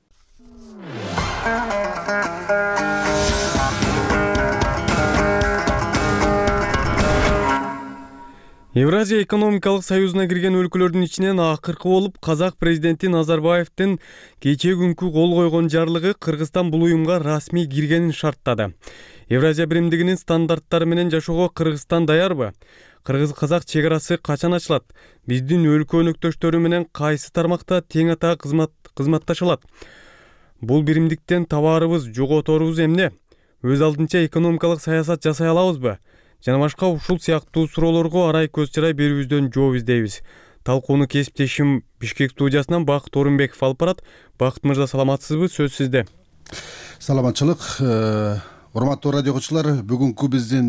Speaker 12: Евразия экономикалык союзуна кирген өлкөлөрдүн ичинен акыркы болуп казак президенти Назарбаевдин кечээ күнкү кол койгон жарлыгы Кыргызстан бул уюмга расмий киргенин шарттады. Евразия биримдигинин стандарттары менен жашоого Кыргызстан даярбы? Кыргыз-казак чек арасы качан ачылат? Биздин өлкө өнөктөштөрү менен кайсы тармакта тең ата кызмат кызматташалат? Бул биримдиктен табаарыбыз, жоготорубуз эмне? Өз алдынча экономикалык саясат жасай алабызбы? Жана башка ушул сыяктуу суроолорго арай көз чарай берүүбүздөн жооп издейбиз. Талкууну кесиптешим Бишкек студиясынан Бакыт Орунбеков алып барат. Бакыт мырза, саламатсызбы? Сөз сизде.
Speaker 21: Саламатчылык. Урматтуу радио окуучулар, бүгүнкү биздин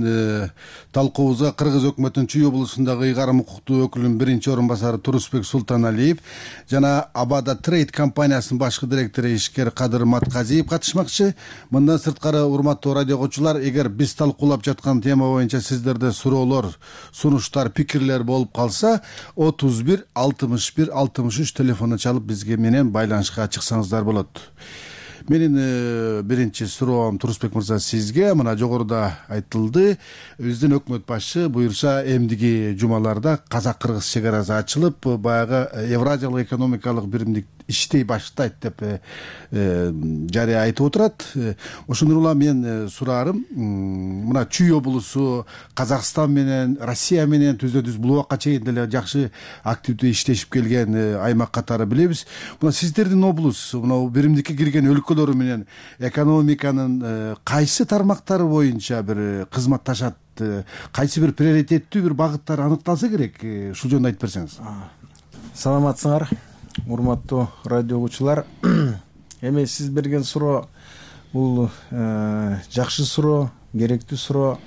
Speaker 21: талкуубузга Кыргыз өкмөтүнүн Чүй облусундагы ыйгарым укуктуу өкүлүнүн биринчи орун басары Турусбек Султаналиев жана Абада Трейд компаниясынын башкы директору ишкер Кадыр Матказиев катышмакчы. Мындан сырткары, урматтуу радио окуучулар, эгер биз талкуулап жаткан тема боюнча сиздерде суроолор, сунуштар, пикирлер болуп калса, отуз бир алтымыш бир алтымыш үч телефону чалып бизге менен байланышка чыксаңыздар болот. Менин биринчи суроом Турусбек мырза сизге. Мына жогоруда айтылды, биздин өкмөт башы буюрса эмдиги жумаларда казак-кыргыз чек арасы ачылып, баягы Евразиялык экономикалык биримдик иштей баштайт деп жарыя айтып отурат. Ошондон улам мен сураарым, мына Чүй облусу Казакстан менен, Россия менен түздө-түз бул убакка чейин деле жакшы активдүү иштешип келген аймак катары билебиз. Мына сиздердин облус, мына биримдикке кирген өлкөлөрү менен экономиканын кайсы тармактары боюнча бир кызматташат, кайсы бир приоритеттүү бир багыттар аныкталса керек, ушул жөнүндө айтып берсеңиз.
Speaker 16: Саламатсыңар, урматтуу радио окуучулар. Эми сиз берген суроо бул жакшы суроо, керектүү суроо.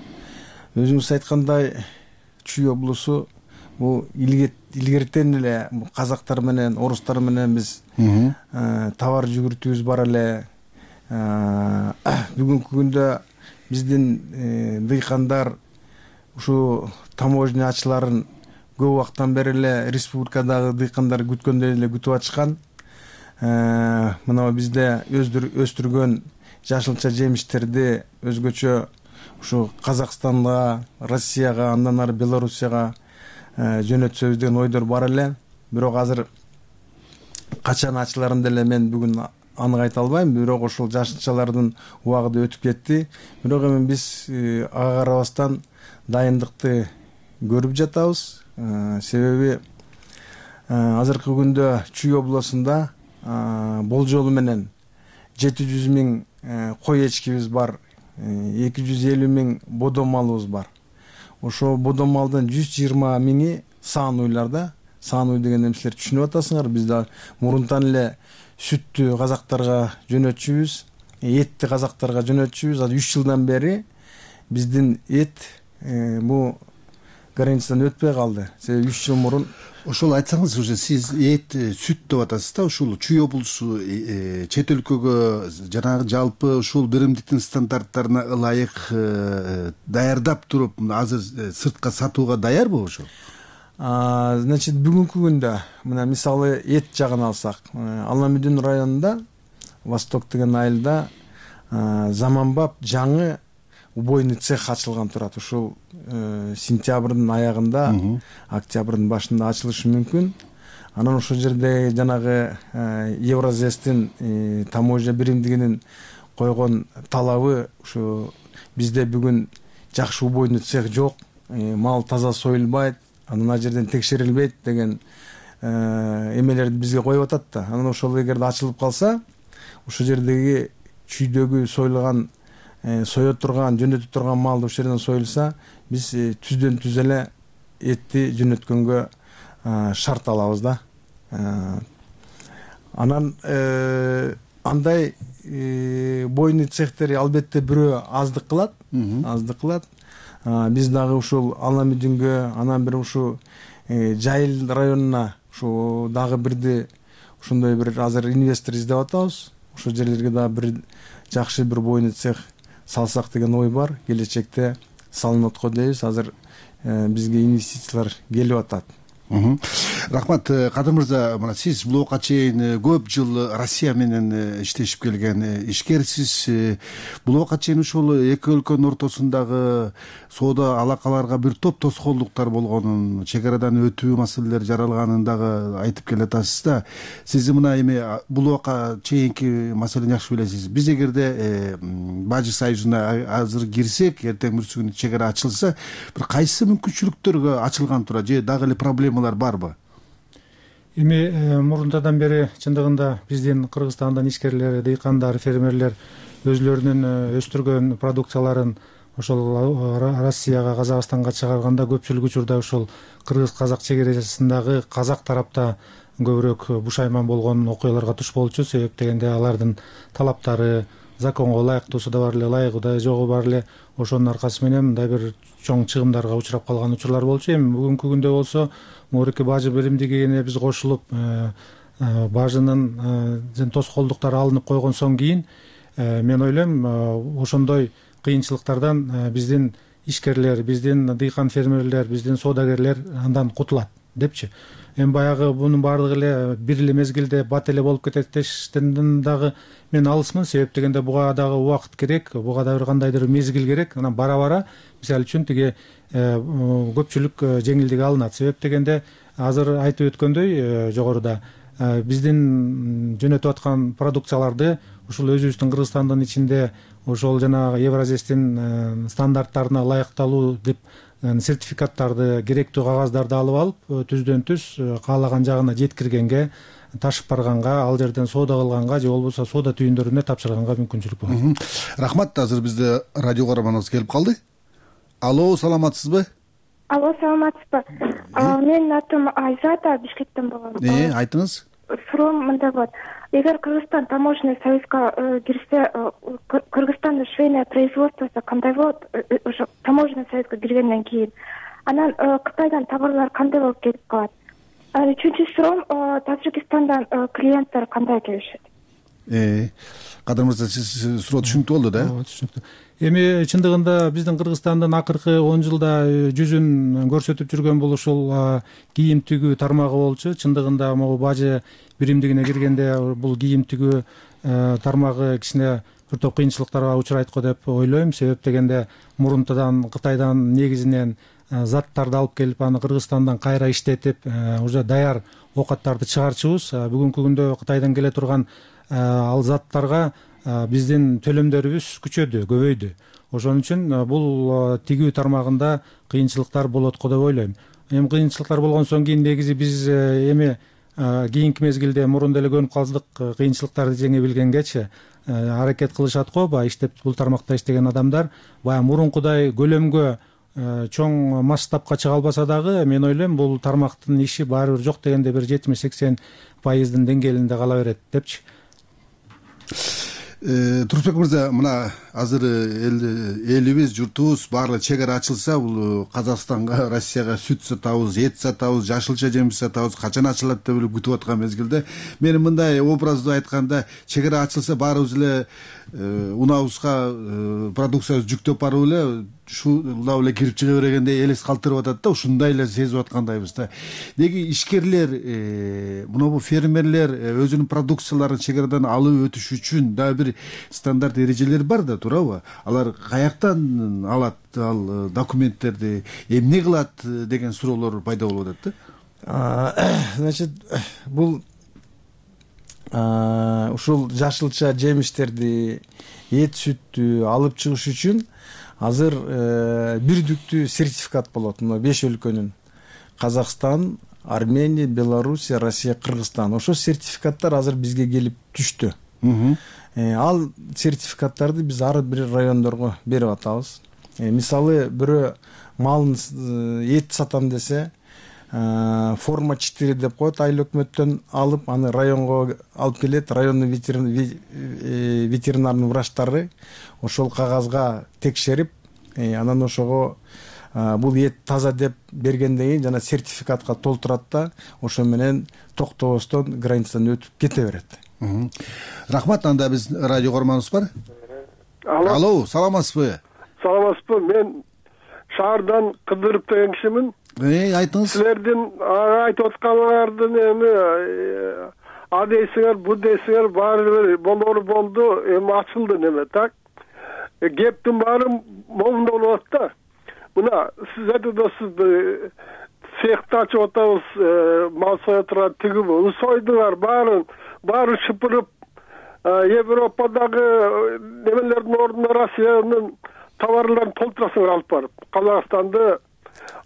Speaker 16: Өзүңүз айткандай, Чүй облусу бул илгертен эле казактар менен, орустар менен биз товар жүгүртүүбүз бар эле. Бүгүнкү күндө биздин дыйкандар ушу таможня ачыларын көп убакыттан бери эле республикадагы дыйкандар күткөндөй эле күтүп атышкан. Мына бизде өстүргөн жашылча жемиштерди өзгөчө ушу Казакстанга, Россияга, андан ары Белоруссияга жөнөтсөбүз деген ойдор бар эле. Бирок азыр качан ачыларын деле мен бүгүн анык айта албайм. Бирок ошол жашылчалардын убагы өтүп кетти. Бирок эми биз ага карабастан дайындыкты көрүп жатабыз. Себеби азыркы күндө Чүй облусунда болжолу менен жети жүз миң кой эчкибиз бар, эки жүз элүү миң бодо малыбыз бар.
Speaker 9: ошо бодон малдын жүз жыйырма миңи саан уйларда. Саан уй дегенди силер түшүнүп атасыңар. Биз да мурунтан эле сүттү казактарга жөнөтчүбүз, этти казактарга жөнөтчүбүз. Азыр үч жылдан бери биздин эт бул границадан өтпөй калды. Себеби үч жыл мурун.
Speaker 21: Ошол айтсаңыз, уже сиз эт, сүт деп атасыз да, ушул чүй облусу чет өлкөгө жанагы жалпы ушул биримдиктин стандарттарына ылайык даярдап туруп азыр сыртка сатууга даярбы ошол?
Speaker 9: Значит, бүгүнкү күндө мына мисалы эт жагын алсак, Ала-Мүдүн районунда Восток деген айылда заманбап жаңы убойный цех ачылган турат. Ушул сентябрдын аягында, октябрдын башында ачылышы мүмкүн. Анан ошол жерде жанагы Евразестин таможня биримдигинин койгон талабы ушу бизде бүгүн жакшы убойный цех жок, мал таза союлбайт, анан ал жерден текшерилбейт деген эмелерди бизге коюп атат да. Анан ошол эгерде ачылып калса, ошол жердеги чүйдөгү союлган, соё турган, жөнөтө турган малды ошол жерден союлса, биз түздөн түз эле этти жөнөткөнгө шарт алабыз да. Анан андай бойный цехтери албетте бирөө аздык кылат, аздык кылат. Биз дагы ушул Ала-Мүдүнгө, анан бир ушу Жайыл районуна ушу дагы бирди ошондой бир азыр инвестор издеп атабыз. Ошол жерлерге дагы бир жакшы бир бойный цех салсак деген ой бар. Келечекте салынат го дейбиз. Азыр бизге инвестициялар келип атат.
Speaker 21: Рахмат, Кадыр мырза, мына сиз блокка чейин көп жыл Россия менен иштешип келген ишкерсиз. Блокка чейин ушул эки өлкөнүн ортосундагы соода алакаларга бир топ тоскоолдуктар болгонун, чек арадан өтүү маселелери жаралганын дагы айтып келатасыз да. Сиз мына эми блокка чейинки маселени жакшы билесиз. Биз эгерде Бажы союзуна азыр кирсек, эртең бүрсү күнү чек ара ачылса, бир кайсы мүмкүнчүлүктөргө ачылган турат же дагы эле проблемалар барбы?
Speaker 22: Эми мурунтадан бери чындыгында биздин Кыргызстандын ишкерлери, дыйкандар, фермерлер өзлөрүнүн өстүргөн продукцияларын ошол Россияга, Казакстанга чыгарганда көпчүлүк учурда ушул кыргыз-казак чек арасындагы казак тарапта көбүрөөк бушайман болгон окуяларга туш болчу. Себеп дегенде алардын талаптары законго ылайыктуусу да бар эле, ылайыгы да жогу бар эле. Ошонун аркасы менен мындай бир чоң чыгымдарга учурап калган учурлар болчу. Эми бүгүнкү күндө болсо Мурики бажы биримдигине биз кошулуп, бажынын тоскоолдуктары алынып койгон соң кийин мен ойлойм ошондой кыйынчылыктардан биздин ишкерлер, биздин дыйкан фермерлер, биздин соодагерлер андан кутулат депчи. Эми баягы бунун баардыгы эле бир эле мезгилде бат эле болуп кетет дештен дагы мен алысмын. Себеп дегенде буга дагы убакыт керек, буга да бир кандайдыр мезгил керек. Анан бара-бара мисалы үчүн тиги көпчүлүк жеңилдик алынат. Себеп дегенде азыр айтып өткөндөй жогоруда биздин жөнөтүп аткан продукцияларды ушул өзүбүздүн Кыргызстандын ичинде ошол жанагы Евразестин стандарттарына ылайыкталуу деп сертификаттарды, керектүү кагаздарды алып алып, түздөн түз каалаган жагына жеткиргенге, ташып барганга, ал жерден соода кылганга же болбосо соода түйүндөрүнө тапшырганга мүмкүнчүлүк бар.
Speaker 21: Рахмат, азыр бизде радио каарманыбыз келип калды. Алло, саламатсызбы?
Speaker 23: Алло, саламатсызбы? Менин атым Айзада, Бишкектен болом.
Speaker 21: Э, айтыңыз.
Speaker 23: Суроом мындай болот. Эгер Кыргызстан таможенный союзга кирсе, Кыргызстандын швейное производствосу кандай болот? Ошо таможенный союзга киргенден кийин анан Кытайдан товарлар кандай болуп келип калат? Үчүнчү суроом, Тажикстандан клиенттер кандай келишет?
Speaker 21: Э, Кадыр мырза, сиз суроо түшүнүктүү болду да?
Speaker 22: Ооба, түшүнүктүү. Эми чындыгында биздин Кыргызстандын акыркы он жылда жүзүн көрсөтүп жүргөн бул ушул кийим тигүү тармагы болчу. Чындыгында могу бажы биримдигине киргенде бул кийим тигүү тармагы кичине бир топ кыйынчылыктарга учурайт го деп ойлойм. Себеп дегенде мурунтадан Кытайдан негизинен заттарды алып келип аны Кыргызстандан кайра иштетип, уже даяр оокаттарды чыгарчубуз. Бүгүнкү күндө Кытайдан келе турган ал заттарга биздин төлөмдөрүбүз күчөдү, көбөйдү. Ошон үчүн бул тигүү тармагында кыйынчылыктар болот го деп ойлойм. Эми кыйынчылыктар болгон соң кийин негизи биз эми кийинки мезгилде мурун деле көнүп калдык, кыйынчылыктарды жеңе билгенгечи аракет кылышат го. Баягы иштеп бул тармакта иштеген адамдар баягы мурункудай көлөмгө чоң масштабка чыга албаса дагы мен ойлойм бул тармактын иши баары бир жок дегенде бир жетимиш сексен пайыздын деңгээлинде кала берет депчи.
Speaker 21: Турсунбек мырза, мына азыр элибиз, журтубуз баары чек ара ачылса, бул Казакстанга, Россияга сүт сатабыз, эт сатабыз, жашылча жемиш сатабыз, качан ачылат деп эле күтүп аткан мезгилде мен мындай образды айтканда, чек ара ачылса баарыбыз эле унабызга продукциябызды жүктөп барып эле ушулап эле кирип чыга бергендей элес калтырып атат да, ушундай эле сезип аткандайбыз да. Неге ишкерлер, мына фермерлер өзүнүн продукцияларын чек арадан алып өтүш үчүн дагы бир стандарт эрежелер бар да, туурабы? Алар каяктан алат ал документтерди, эмне кылат деген суроолор пайда болуп атат
Speaker 9: да. Значит, бул ушул жашылча жемиштерди, эт сүттү алып чыгыш үчүн азыр бирдиктүү сертификат болот. Мына беш өлкөнүн: Казакстан, Армения, Белоруссия, Россия, Кыргызстан. Ошол сертификаттар азыр бизге келип түштү. Ал сертификаттарды биз ар бир райондорго берип атабыз. Мисалы, бирөө малын эт сатам десе, форма четыре деп коет, айыл өкмөттөн алып, аны районго алып келет. Райондун ветеринарный врачтары ошол кагазга текшерип, анан ошого бул эт таза деп бергенден кийин жана сертификатка толтурат да, ошо менен токтобостон границадан өтүп кете берет.
Speaker 21: Рахмат. Анда биз радио көрманыбыз бар.
Speaker 2: Алло.
Speaker 21: Алло, саламатсызбы?
Speaker 2: Саламатсызбы? Мен шаардан Кыдырып деген кишимин.
Speaker 21: Эй, айтыңыз.
Speaker 2: Силердин айтып атканыңардын эми а дейсиңер, бу дейсиңер баары бир болору болду, эми ачылды неме, так? Кептин баары момунда болуп атат да. Мына сиз айтып атасыз, цехти ачып атабыз, мал соя турат тиги бул. Сойдуңар баарын, баары шыпырып, Европадагы немелердин ордуна Россиянын товарларын толтурасыңар алып барып. Казакстанды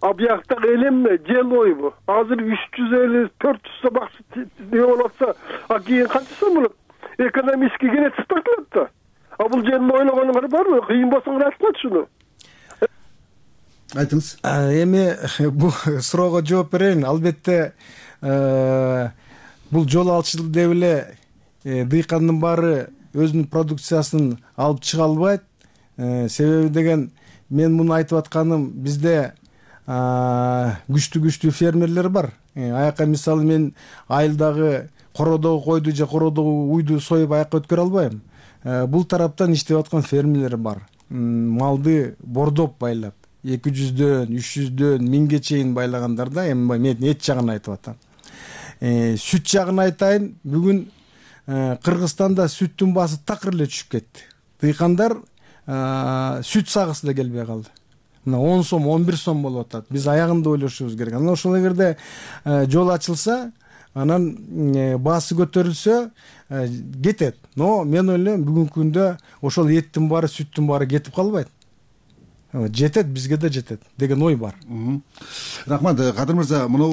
Speaker 2: объекттагы элемне жел ойбу. Азыр үч жүз элүү төрт жүз сабакчы не болуп атса, а кийин канча сом болот? Экономически керексиз тартылат да. А бул жерин ойлогонуңар барбы? Кыйын болсо айтыңызчы шуну.
Speaker 21: Айтыңыз.
Speaker 9: Эми бул суроого жооп берейин. Албетте бул жол алчылык деп эле дыйкандын баары өзүнүн продукциясын алып чыга албайт. Себеби деген, мен муну айтып атканым, бизде күчтүү-күчтүү фермерлер бар. Аяка мисалы мен айылдагы кородогу койду же кородогу уйду союп аяка өткөрө албайм. Бул тараптан иштеп аткан фермерлер бар. Малды бордоп байлап, эки жүздөн, үч жүздөн, миңге чейин байлагандар да. Эми мен эт жагын айтып атам. Сүт жагын айтайын, бүгүн Кыргызстанда сүттүн баасы такыр эле түшүп кетти. Дыйкандар сүт сагысы да келбей калды. Мына он сом, он бир сом болуп атат. Биз аягында ойлошубуз керек. Анан ошол эгерде жол ачылса, анан баасы көтөрүлсө кетет. Но мен ойлойм, бүгүнкү күндө ошол эттин баары, сүттүн баары кетип калбайт. Жетет, бизге да жетет деген ой бар.
Speaker 21: Рахмат. Кадыр мырза, мына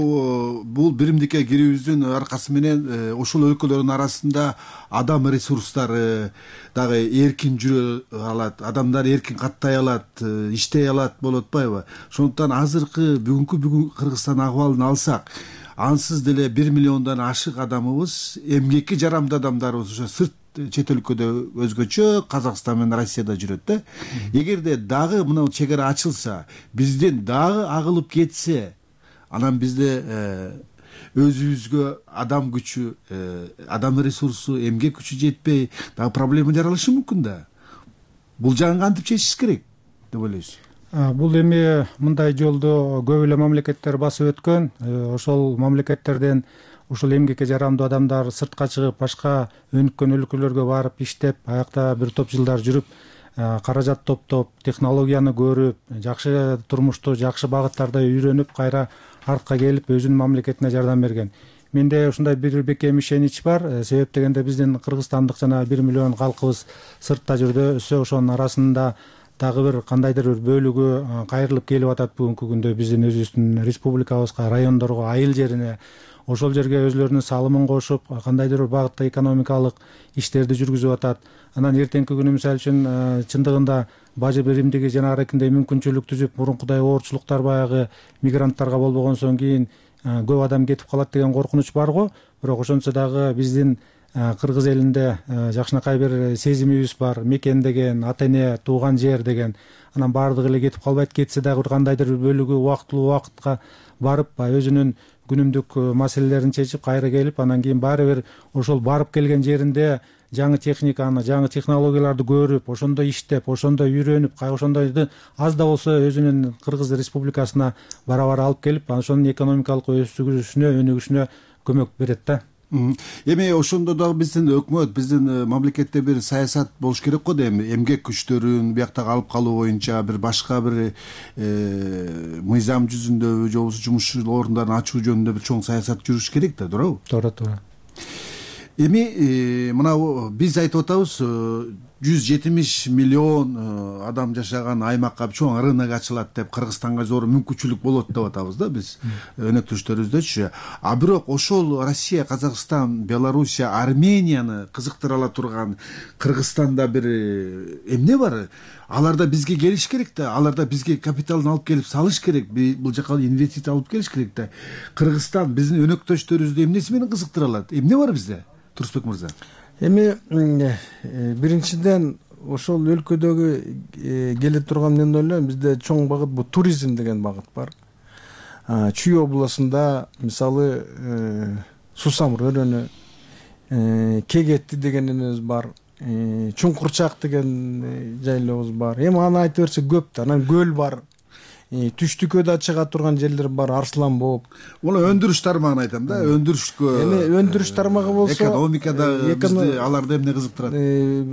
Speaker 21: бул биримдикке кирүүбүздүн аркасы менен ошол өлкөлөрдүн арасында адам ресурстары дагы эркин жүрө алат, адамдар эркин каттай алат, иштей алат болуп атпайбы? Ошондуктан азыркы бүгүнкү бүгүн Кыргызстан акыбалын алсак, ансыз деле бир миллиондон ашык адамыбыз, эмгекке жарамдуу адамдарыбыз ошо сырт чет өлкөдө өзгөчө, Казакстан менен Россияда жүрөт да. Эгерде дагы мына чек ара ачылса, бизден дагы агылып кетсе, анан бизде өзүбүзгө адам күчү, адам ресурсу, эмгек күчү жетпей, дагы проблема жаралышы мүмкүн да. Бул жагын кантип чечиш керек деп ойлойсуз?
Speaker 22: Бул эми мындай жолду көп эле мамлекеттер басып өткөн. Ошол мамлекеттерден ушул эмгекке жарамдуу адамдар сыртка чыгып, башка өнүккөн өлкөлөргө барып иштеп, аякта бир топ жылдар жүрүп, каражат топтоп, технологияны көрүп, жакшы турмушту, жакшы багыттарда үйрөнүп, кайра артка келип өзүнүн мамлекетине жардам берген. Менде ушундай бир бекем ишенич бар. Себеп дегенде биздин кыргызстандык жана бир миллион калкыбыз сыртта жүрдү. Ошонун арасында дагы бир кандайдыр бир бөлүгү кайрылып келип атат бүгүнкү күндө биздин өзүбүздүн республикабызга, райондорго, айыл жерине. Ошол жерге өзлөрүнүн салымын кошуп, кандайдыр бир багытта экономикалык иштерди жүргүзүп атат. Анан эртеңки күнү мисалы үчүн чындыгында бажы биримдиги жанагындай мүмкүнчүлүк түзүп, мурункудай оорчулуктар баягы мигранттарга болбогонсон кийин көп адам кетип калат деген коркунуч бар го. Бирок ошончо дагы биздин кыргыз элинде жакшынакай бир сезимибиз бар, мекен деген, ата эне, тууган жер деген. Анан баардыгы эле кетип калбайт, кетсе дагы бир кандайдыр бир бөлүгү убактылуу убакытка барып, өзүнүн күнүмдүк маселелерин чечип кайра келип, анан кийин баары бир ошол барып келген жеринде жаңы техниканы, жаңы технологияларды көрүп, ошондо иштеп, ошондо үйрөнүп, ошондойду аз да болсо өзүнүн Кыргыз Республикасына бара-бара алып келип, ошонун экономикалык өсүшүнө, өнүгүшүнө көмөк берет да.
Speaker 21: Эми ошондо дагы биздин өкмөт, биздин мамлекетте бир саясат болуш керек го да, эми эмгек күчтөрүн бияктагы алып калуу боюнча бир башка бир мыйзам жүзүндө же болбосо жумуш орундарын ачуу жөнүндө бир чоң саясат жүрүш керек да, туурабы?
Speaker 22: Туура, туура.
Speaker 21: Эми мына биз айтып атабыз, жүз жетимиш миллион адам жашаган аймакка чоң рынок ачылат деп, Кыргызстанга зор мүмкүнчүлүк болот деп атабыз да биз өнөктөштөрүбүздөчү. А бирок ошол Россия, Казакстан, Белоруссия, Арменияны кызыктыра ала турган Кыргызстанда бир эмне бар? Аларда бизге келиш керек да, аларда бизге капиталын алып келип салыш керек, бул жака инвестиция алып келиш керек да. Кыргызстан биздин өнөктөштөрүбүздү эмнеси менен кызыктыра алат? Эмне бар бизде? Турсбек мырза.
Speaker 9: Эми биринчиден ошол өлкөдөгү келе турган, мен ойлойм, бизде чоң багыт бул туризм деген багыт бар. Чүй областында мисалы Сусамыр өрөөнү, Кегетти деген эмебиз бар, Чуңкурчак деген жайлообуз бар. Эми аны айта берсе көп да. Анан көл бар. Түштүккө да чыга турган жерлер бар, Арслан болуп.
Speaker 21: Уну өндүрүш тармагын айтам да, өндүрүшкө.
Speaker 9: Эми өндүрүш тармагы болсо,
Speaker 21: экономикада бизди аларды эмне кызыктырат?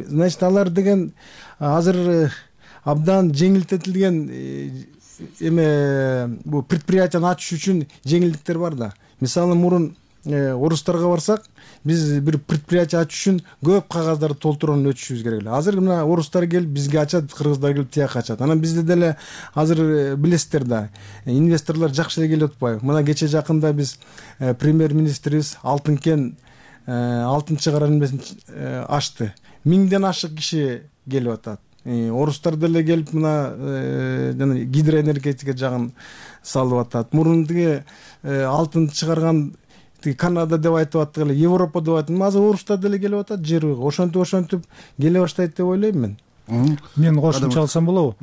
Speaker 9: Значит, алар деген азыр абдан жеңилдетилген эме бу предприятияны ачыш үчүн жеңилдиктер бар да. Мисалы, мурун орустарга барсак, биз бир предприятие ачыш үчүн көп кагаздарды толтуруп өтүшүбүз керек эле. Азыр мына орустар келип бизге ачат, кыргыздар келип тияка ачат. Анан бизде деле азыр билесиздер да, инвесторлор жакшы эле келип атпайбы? Мына кече жакында биз премьер-министрибиз Алтын кен алтынчы карармесин ачты. Миңден ашык киши келип атат. Орустар деле келип мына жана гидроэнергетика жагын салып атат. Мурун тиги алтын чыгарган Канада деп айтып аттык эле, Европа деп айтып, азыр орустар деле келип атат жерге. Ошентип ошентип келе баштайт деп ойлойм мен.
Speaker 22: Мен кошумча алсам болобу?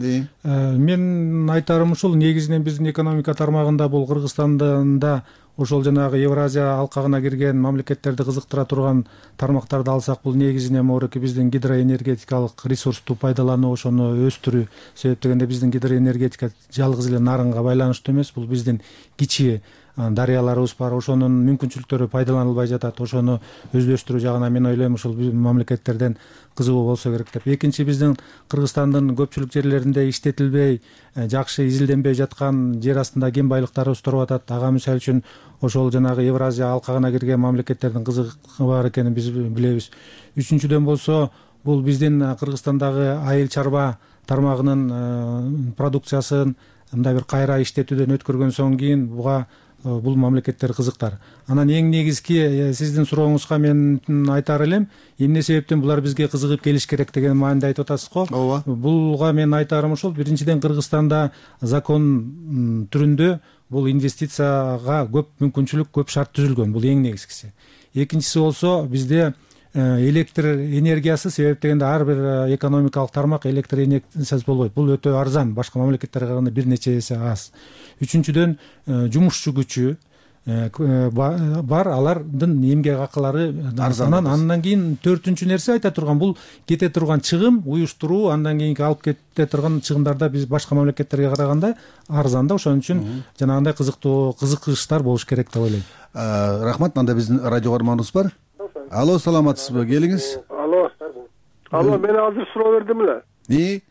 Speaker 22: Мен айтарым ушул, негизинен биздин экономика тармагында бул Кыргызстанда ошол жанагы Евразия алкагына кирген мамлекеттерди кызыктыра турган тармактарды алсак, бул негизинен морки биздин гидроэнергетикалык ресурсту пайдалануу, ошону өстүрүү. Себеп дегенде биздин гидроэнергетика жалгыз эле нарынга байланыштуу эмес, бул биздин кичи дарыяларыбыз бар, ошонун мүмкүнчүлүктөрү пайдаланылбай жатат. Ошону өздөштүрүү жагына мен ойлойм ушул мамлекеттерден кызыгуу болсо керек деп. Экинчи, биздин Кыргызстандын көпчүлүк жерлеринде иштетилбей, жакшы изилденбей жаткан жер астында кен байлыктарыбыз туруп атат. Ага мисалы үчүн ошол жанагы Евразия алкагына кирген мамлекеттердин кызыгы бар экенин биз билебиз. Үчүнчүдөн болсо, бул биздин Кыргызстандагы айыл чарба тармагынын продукциясын мындай бир кайра иштетүүдөн өткөргөндөн кийин буга бул мамлекеттер кызыктар. Анан эң негизги сиздин сурооңузга мен айтар элем, эмне себептен булар бизге кызыгып келиш керек деген мааниде айтып атасыз го.
Speaker 21: Ооба.
Speaker 22: Булга мен айтарым ушул, биринчиден Кыргызстанда закон түрүндө бул инвестицияга көп мүмкүнчүлүк, көп шарт түзүлгөн. Бул эң негизгиси. Экинчиси болсо, бизде электр энергиясы, себеп дегенде ар бир экономикалык тармак электр энергиясыз болбойт. Бул өтө арзан, башка мамлекеттерге караганда бир нече эсе аз. Үчүнчүдөн жумушчу күчү бар, алардын эмгек акылары арзан. Андан кийин төртүнчү нерсе айта турган, бул кете турган чыгым, уюштуруу, андан кийинки алып кете турган чыгымдарда биз башка мамлекеттерге караганда арзан да. Ошон үчүн жанагындай кызыктуу кызыкчтар болуш керек деп ойлойм.
Speaker 21: Рахмат. Мында биздин радио каарманыбыз бар. Алло, саламатсызбы? Келиңиз.
Speaker 2: Алло. Алло, мен азыр суроо бердим эле.
Speaker 21: И?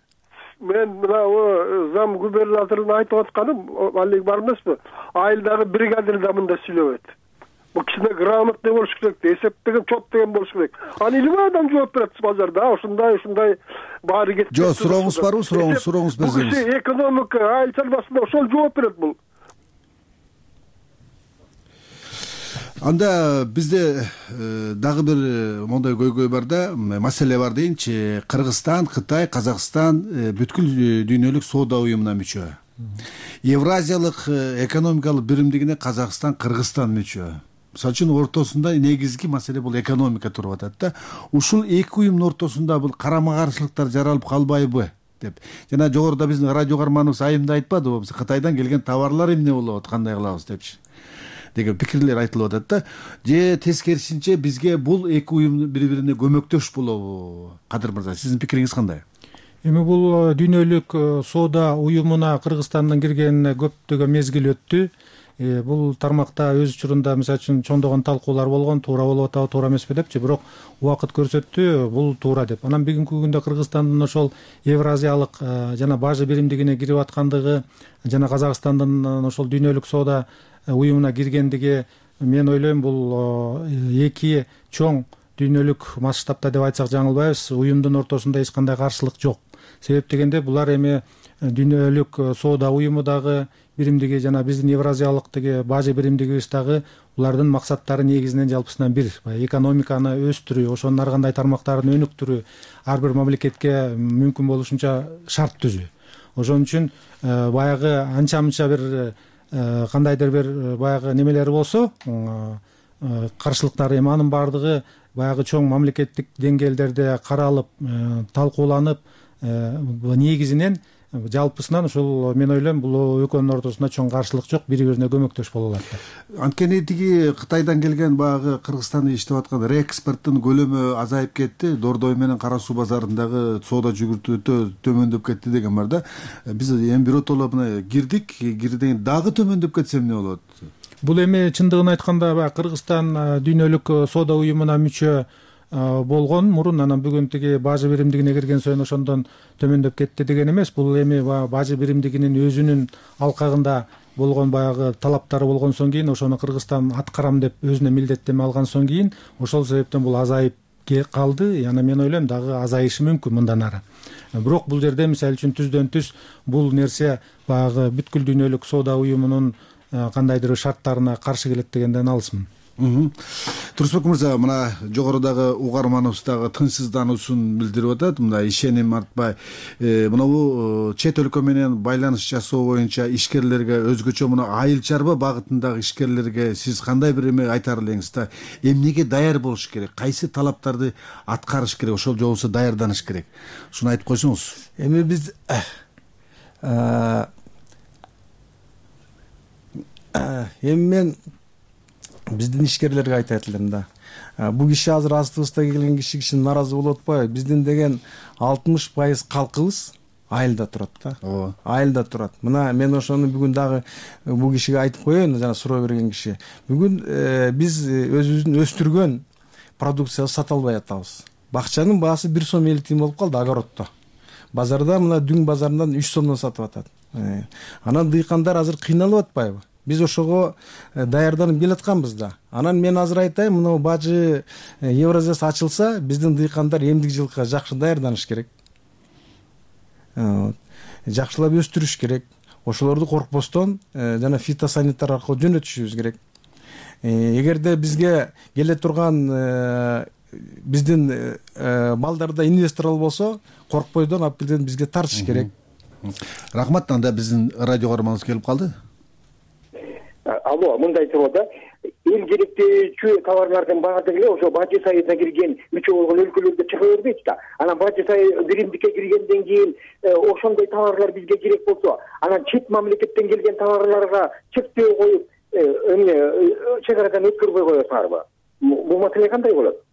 Speaker 2: Мен мына зам губернатордун айтып атканым, алек бар эмеспи? Айылдагы бригадир да мында сүйлөбөт. бул кичине грамотный болуш керек, эсептеген, чот деген болуш керек. Аны илимай адам жооп берет базарда. Ушундай ушундай баары кетип.
Speaker 21: Жок, сурооңуз барбы? Сурооңуз, сурооңуз берсеңиз.
Speaker 2: Бул киши экономика, айыл чарбасында ошол жооп берет бул.
Speaker 21: Анда бизде дагы бир мондай көйгөй бар да, маселе бар дейинчи. Кыргызстан, Кытай, Казакстан бүткүл дүйнөлүк соода уюмуна мүчө. Евразиялык экономикалык биримдигине Казакстан, Кыргызстан мүчө. Мисалы үчүн ортосунда негизги маселе бул экономика туруп атат да. Ушул эки уюмдун ортосунда бул карама-каршылыктар жаралып калбайбы деп. Жана жогоруда биздин радио каарманыбыз айымда айтпадыбы? Биз Кытайдан келген товарлар эмне болот, кандай кылабыз депчи деген пикирлер айтылып атат да. Же тескерисинче бизге бул эки уюм бири-бирине көмөктөш болобу? Кадыр мырза, сиздин пикириңиз кандай?
Speaker 22: Эми бул дүйнөлүк соода уюмуна Кыргызстандын киргенине көптөгөн мезгил өттү. Бул тармакта өз учурунда мисалы үчүн чоңдогон талкуулар болгон, туура болуп атабы, туура эмеспи депчи, бирок убакыт көрсөттү, бул туура деп. Анан бүгүнкү күндө Кыргызстандын ошол Евразиялык жана бажы биримдигине кирип аткандыгы жана Казакстандын ошол дүйнөлүк соода уюмуна киргендиги, мен ойлойм, бул эки чоң дүйнөлүк масштабта деп айтсак жаңылбайбыз, уюмдун ортосунда эч кандай каршылык жок. Себеп дегенде булар эми дүйнөлүк соода уюму дагы биримдиги жана биздин Евразиялык деги бажы биримдигибиз дагы булардын максаттары негизинен жалпысынан бир, экономиканы өстүрүү, ошонун ар кандай тармактарын өнүктүрүү, ар бир мамлекетке мүмкүн болушунча шарт түзүү. Ошон үчүн баягы анча-мынча бир кандайдыр бир баягы немелери болсо, каршылыктар, эми анын баардыгы баягы чоң мамлекеттик деңгээлдерде каралып, талкууланып, негизинен жалпысынан ушул мен ойлойм бул экөөнүн ортосунда чоң каршылык жок, бири-бирине көмөктөш боло алат.
Speaker 21: Анткени тиги Кытайдан келген баягы Кыргызстанда иштеп аткан реэкспорттун көлөмү азайып кетти, Дордой менен Кара Суу базарындагы соода жүгүртүү өтө төмөндөп кетти деген бар да. Биз эми биротоло мына кирдик, кирден дагы төмөндөп кетсе эмне болот?
Speaker 22: Бул эми чындыгын айтканда баягы Кыргызстан дүйнөлүк соода уюмуна мүчө болгон мурун, анан бүгүн тиги бажы биримдигине кирген союн ошондон төмөндөп кетти деген эмес. Бул эми бажы биримдигинин өзүнүн алкагында болгон баягы талаптары болгонсон кийин, ошону Кыргызстан аткарам деп өзүнө милдеттеме алгансон кийин, ошол себептен бул азайып калды. Яна мен ойлойм дагы азайышы мүмкүн мындан ары. Бирок бул жерде мисалы үчүн түздөн түз бул нерсе баягы бүткүл дүйнөлүк соода уюмунун кандайдыр шарттарына каршы келет дегенден алысмын.
Speaker 21: Турсунбек мырза, мына жогорудагы угарманыбыз дагы тынчсыздануусун билдирип атат. Мына ишеним артпай, мына чет өлкө менен байланыш жасоо боюнча ишкерлерге өзгөчө мына айыл чарба багытындагы ишкерлерге сиз кандай бир эме айтар элеңиз да? Эмнеге даяр болуш керек? Кайсы талаптарды аткарыш керек? Ошол же болбосо даярданыш керек? Ушуну айтып койсоңуз.
Speaker 9: Эми биз эми мен биздин ишкерлерге айтат элем да. Бул киши азыр астыбызда келген киши киши нааразы болуп атпайбы? Биздин деген алтымыш пайыз калкыбыз айылда турат да. Ооба. Айылда турат. Мына мен ошону бүгүн дагы бул кишиге айтып коеюн, жана суроо берген киши. Бүгүн биз өзүбүздүн өстүргөн продукциябызды сата албай атабыз. Бакчанын баасы бир сом элүү тиын болуп калды огороддо. Базарда мына Дүң базарынан үч сомдон сатып атат. Анан дыйкандар азыр кыйналып атпайбы? Биз ошого даярданып келатканбыз да. Анан мен азыр айтайын, мына бажы Евразиясы ачылса, биздин дыйкандар эмдик жылкыга жакшы даярданыш керек. Жакшылап өстүрүш керек. Ошолорду коркпостон жана фитосанитар аркылуу жөнөтүшүбүз керек. Эгерде бизге келе турган биздин балдарда инвесторлор болсо, коркпойдон алып келген бизге тартыш керек.
Speaker 21: Рахмат. Анда биздин радио каарманыбыз келип калды.
Speaker 6: Алло, мындай суроо да. Эл керектүүчү товарлардын баардыгы эле ошо бажы сайына кирген мүчө болгон өлкөлөрдө чыга бербейт да. Анан бажы сай биримдикке киргенден кийин ошондой товарлар бизге керек болсо, анан чет мамлекеттен келген товарларга чектөө коюп, эмне чек арадан өткөрбөй коесуңарбы? Бул маселе кандай болот?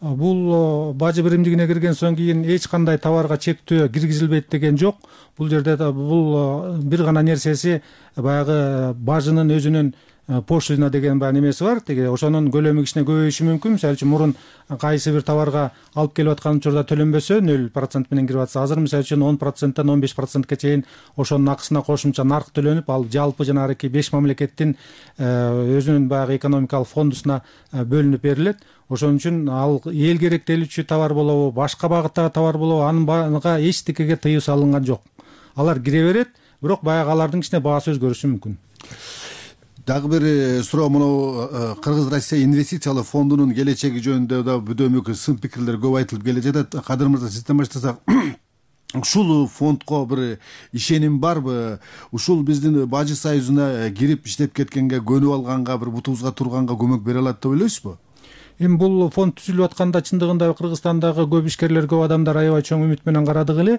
Speaker 22: Бул бажы биримдигине кирген соң кийин эч кандай товарга чектөө киргизилбейт деген жок. Бул жерде бул бир гана нерсеси баягы бажынын өзүнүн пошлина деген баягы немеси бар, тиги ошонун көлөмү кичине көбөйүшү мүмкүн. Мисалы үчүн мурун кайсы бир товарга алып келип аткан учурда төлөнбөсө нөл процент менен кирип атса, азыр мисалы үчүн он проценттен он беш процентке чейин ошонун акысына кошумча нарк төлөнүп, ал жалпы жанагы беш мамлекеттин өзүнүн баягы экономикалык фондусуна бөлүнүп берилет. Ошон үчүн ал эл керектелүүчү товар болобу, башка багыттагы товар болобу, анын баарына эчтекеге тыюу салынган жок. Алар кире берет, бирок баягы алардын кичине баасы өзгөрүшү мүмкүн.
Speaker 21: Дагы бир суроо, мына Кыргыз Россия инвестициялык фондунун келечеги жөнүндө да бүдөмүк сын пикирлер көп айтылып келе жатат. Кадыр мырза, сизден баштасак, ушул фондко бир ишеним барбы? Ушул биздин Бажы союзуна кирип иштеп кеткенге, көнүп алганга, бир бутубузга турганга көмөк бере алат деп ойлойсузбу?
Speaker 22: Эми бул фонд түзүлүп атканда чындыгында Кыргызстандагы көп ишкерлер, көп адамдар аябай чоң үмүт менен карадык эле.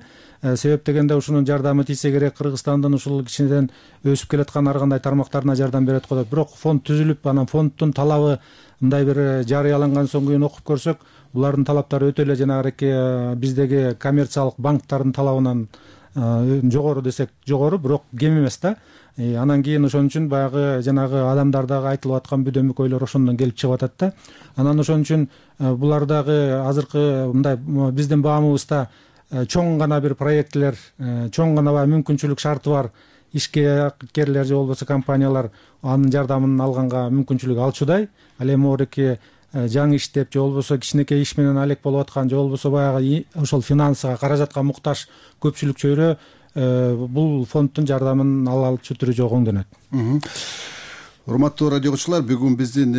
Speaker 22: Себеп дегенде ушунун жардамы тийсе керек, Кыргызстандын ушул кичинеден өсүп келаткан ар кандай тармактарына жардам берет го деп. Бирок фонд түзүлүп, анан фонддун талабы мындай бир жарыяланган соң кийин окуп көрсөк, булардын талаптары өтө эле жанагы биздеги коммерциялык банктардын талабынан жогору десек жогору, бирок кем эмес да. Анан кийин ошон үчүн баягы жанагы адамдардагы айтылып аткан бүдөмүк ойлор ошондон келип чыгып атат да. Анан ошон үчүн булардагы азыркы мындай биздин баамыбызда чоң гана бир проектлер, чоң гана баягы мүмкүнчүлүк шарты бар ишкерлер же болбосо компаниялар анын жардамын алганга мүмкүнчүлүк алчудай. Ал эми орки жаңы иштеп же болбосо кичинекей иш менен алек болуп аткан же болбосо баягы ошол финансыга, каражатка муктаж көпчүлүк чөйрө бул фонддун жардамын ала алчу түрү жок оңдонот.
Speaker 21: Урматтуу радио окуучулар, бүгүн биздин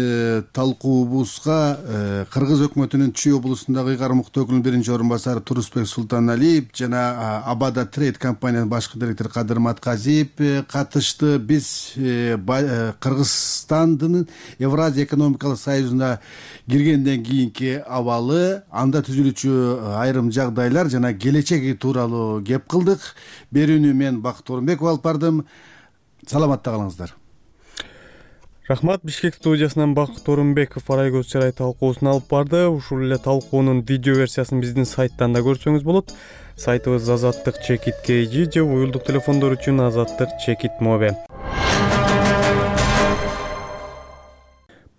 Speaker 21: талкуубузга Кыргыз өкмөтүнүн Чүй облусундагы ыйгарым укуктуу өкүлүнүн биринчи орун басары Турусбек Султаналиев жана Абада Трейд компаниянын башкы директору Кадыр Матказиев катышты. Биз Кыргызстандын Евразия экономикалык союзуна киргенден кийинки абалы, анда түзүлүүчү айрым жагдайлар жана келечеги тууралуу кеп кылдык. Берүүнү мен Бакыт Орунбеков алып бардым. Саламатта калыңыздар.
Speaker 12: Рахмат. Бишкек студиясынан Бакыт Орунбеков Арайкөз чарай талкуусун алып барды. Ушул эле талкуунун видео версиясын биздин сайттан да көрсөңүз болот. Сайтыбыз азаттык чекит kg же уюлдук телефондор үчүн азаттык чекит мобе.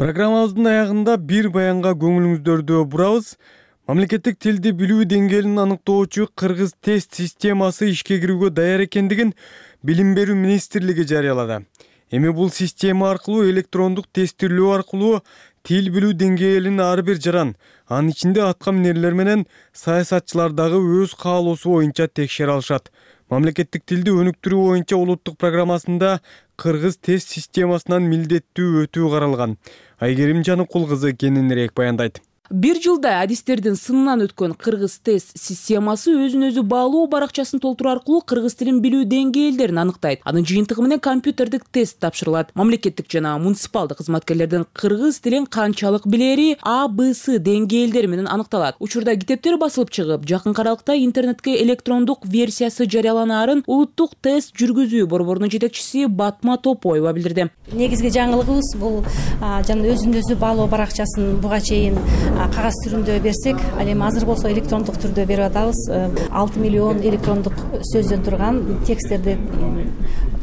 Speaker 12: Программабыздын аягында бир баянга көңүлүңүздөрдү бурабыз. Мамлекеттик тилди билүү деңгээлин аныктоочу кыргыз тест системасы ишке кирүүгө даяр экендигин Билим берүү министрлиги жарыялады. Эми бул система аркылуу электрондук тестирлөө аркылуу тил билүү деңгээлин ар бир жаран, анын ичинде атка минерлер менен саясатчылар дагы өз каалоосу боюнча текшере алышат. Мамлекеттик тилди өнүктүрүү боюнча улуттук программасында кыргыз тест системасынан милдеттүү өтүү каралган. Айгерим Жаныкул кызы кененирээк баяндайт.
Speaker 5: Бир жылда адистердин сынынан өткөн кыргыз тест системасы өзүн өзү баалоо баракчасын толтуруу аркылуу кыргыз тилин билүү деңгээлдерин аныктайт. Анын жыйынтыгы менен компьютердик тест тапшырылат. Мамлекеттик жана муниципалдык кызматкерлердин кыргыз тилин канчалык билери А Б С деңгээлдери менен аныкталат. Учурда китептер басылып чыгып, жакын аралыкта интернетке электрондук версиясы жарыяланаарын улуттук тест жүргүзүү борборунун жетекчиси Батма Топоева билдирди.
Speaker 7: Негизги жаңылыгыбыз бул жана өзүн өзү баалоо баракчасын буга чейин кагаз түрүндө берсек, ал эми азыр болсо электрондук түрдө берип атабыз. алты миллион электрондук сөздөн турган тексттерди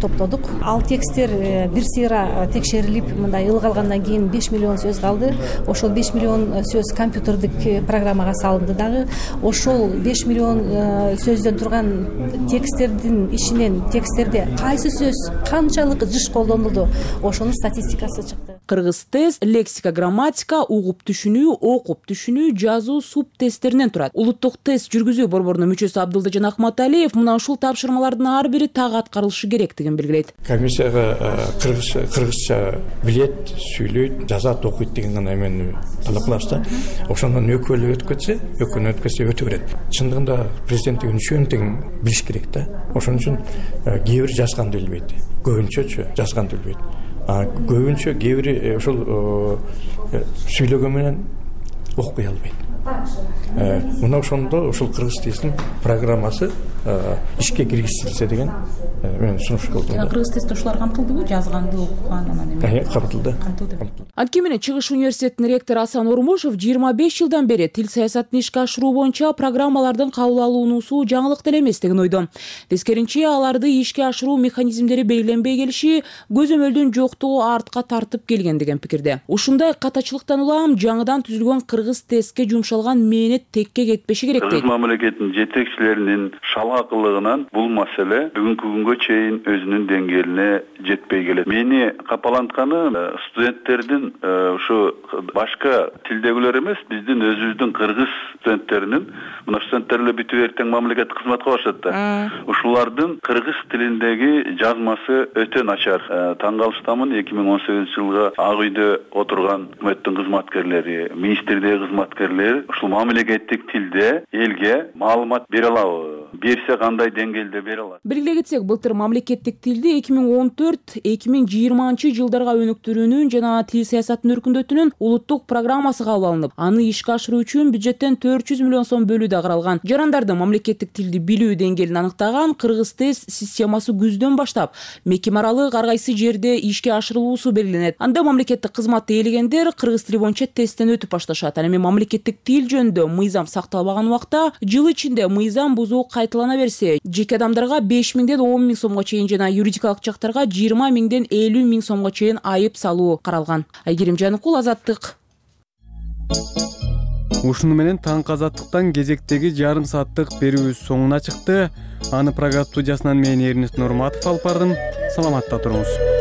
Speaker 7: топтодук. Ал тексттер бир сыйра текшерилип, мындай ылга алгандан кийин беш миллион сөз калды. Ошол беш миллион сөз компьютердик программага салынды дагы. Ошол беш миллион сөздөн турган тексттердин ичинен тексттерде кайсы сөз канчалык жыш колдонулду, ошонун статистикасы чыкты.
Speaker 5: Кыргыз тест лексика, грамматика, угуп түшүнүү, окуп түшүнүү, жазуу, суп тесттеринен турат. Улуттук тест жүргүзүү борборунун мүчөсү Абдылдыжан Акматалиев мына ушул тапшырмалардын ар бири так аткарылышы керектигин белгилейт.
Speaker 8: Комиссияга кыргызча билет, сүйлөйт, жазат, окуйт деген гана эмени талап кылабыз да. Ошондон экөөлөө өтүп кетсе, экөөнү өтүп кетсе өтө берет. Чындыгында президенттигин үчөөнү тең билиш керек да. Ошон үчүн кээ бир жазганды билбейт, көбүнчөчү жазганды билбейт. А көбүнчө кээ бири ошол сүйлөгөн менен окуй албайт. Мына ошондо ушул кыргыз тилинин программасы ишке киргизилсе деген мен сунуш кылдым.
Speaker 5: Кыргыз тест ошолор камтылдыбы, жазганды окуган анан эме?
Speaker 8: Камтылды.
Speaker 5: Анткени менен Чыгыш университетинин ректору Асан Ормушев жыйырма беш жылдан бери тил саясатын ишке ашыруу боюнча программалардын кабыл алынуусу жаңылык деле эмес деген ойдо. Тескеринче аларды ишке ашыруу механизмдери белгиленбей келиши көзөмөлдүн жоктугу артка тартып келген деген пикирде. Ушундай катачылыктан улам жаңыдан түзүлгөн кыргыз тестке жумшалган мээнет текке кетпеши керек дейт.
Speaker 4: Кыргыз мамлекетинин жетекчилеринин шалгакылыгынан бул маселе бүгүнкү күнгө чейин өзүнүн деңгээлине жетпей келет. Мени капалантканы студенттердин ушу башка тилдегилер эмес, биздин өзүбүздүн кыргыз студенттеринин, мына студенттер эле бүтүп эртең мамлекеттик кызматка барышат да. Ушулардын кыргыз тилиндеги жазмасы өтө начар. Таң калыштамын, эки миң он сегизинчи жылга Ак үйдө отурган өкмөттүн кызматкерлери, министрдеги кызматкерлер ушул мамлекеттик тилде элге маалымат бере алабы? Берсе кандай деңгээлде бере алат?
Speaker 5: Белгилей кетсек, былтыр мамлекеттик тилди эки миң он төрт эки миң жыйырманчы жылдарга өнүктүрүүнүн жана тил саясатын өркүндөтүүнүн улуттук программасы кабыл алынып, аны ишке ашыруу үчүн бюджеттен төрт жүз миллион сом бөлүү да каралган. Жарандардын мамлекеттик тилди билүү деңгээлин аныктаган кыргыз тест системасы күздөн баштап мекеме аралык ар кайсы жерде ишке ашырылуусу белгиленет. Анда мамлекеттик кызматты ээлегендер кыргыз тили боюнча тесттен өтүп башташат. Ал эми мамлекеттик тил жөнүндө мыйзам сакталбаган убакта жыл ичинде мыйзам бузуу кайталана берсе, жеке адамдарга беш миңден он миң сомго чейин жана юридикалык жактарга жыйырма миңден элүү миң сомго чейин айып салуу каралган. Айгерим Жаныкул, Азаттык.
Speaker 12: Ушуну менен таңкы Азаттыктан кезектеги жарым сааттык берүүбүз соңуна чыкты. Аны программа студиясынан мен Эрнест Нурматов алып бардым. Саламатта туруңуз.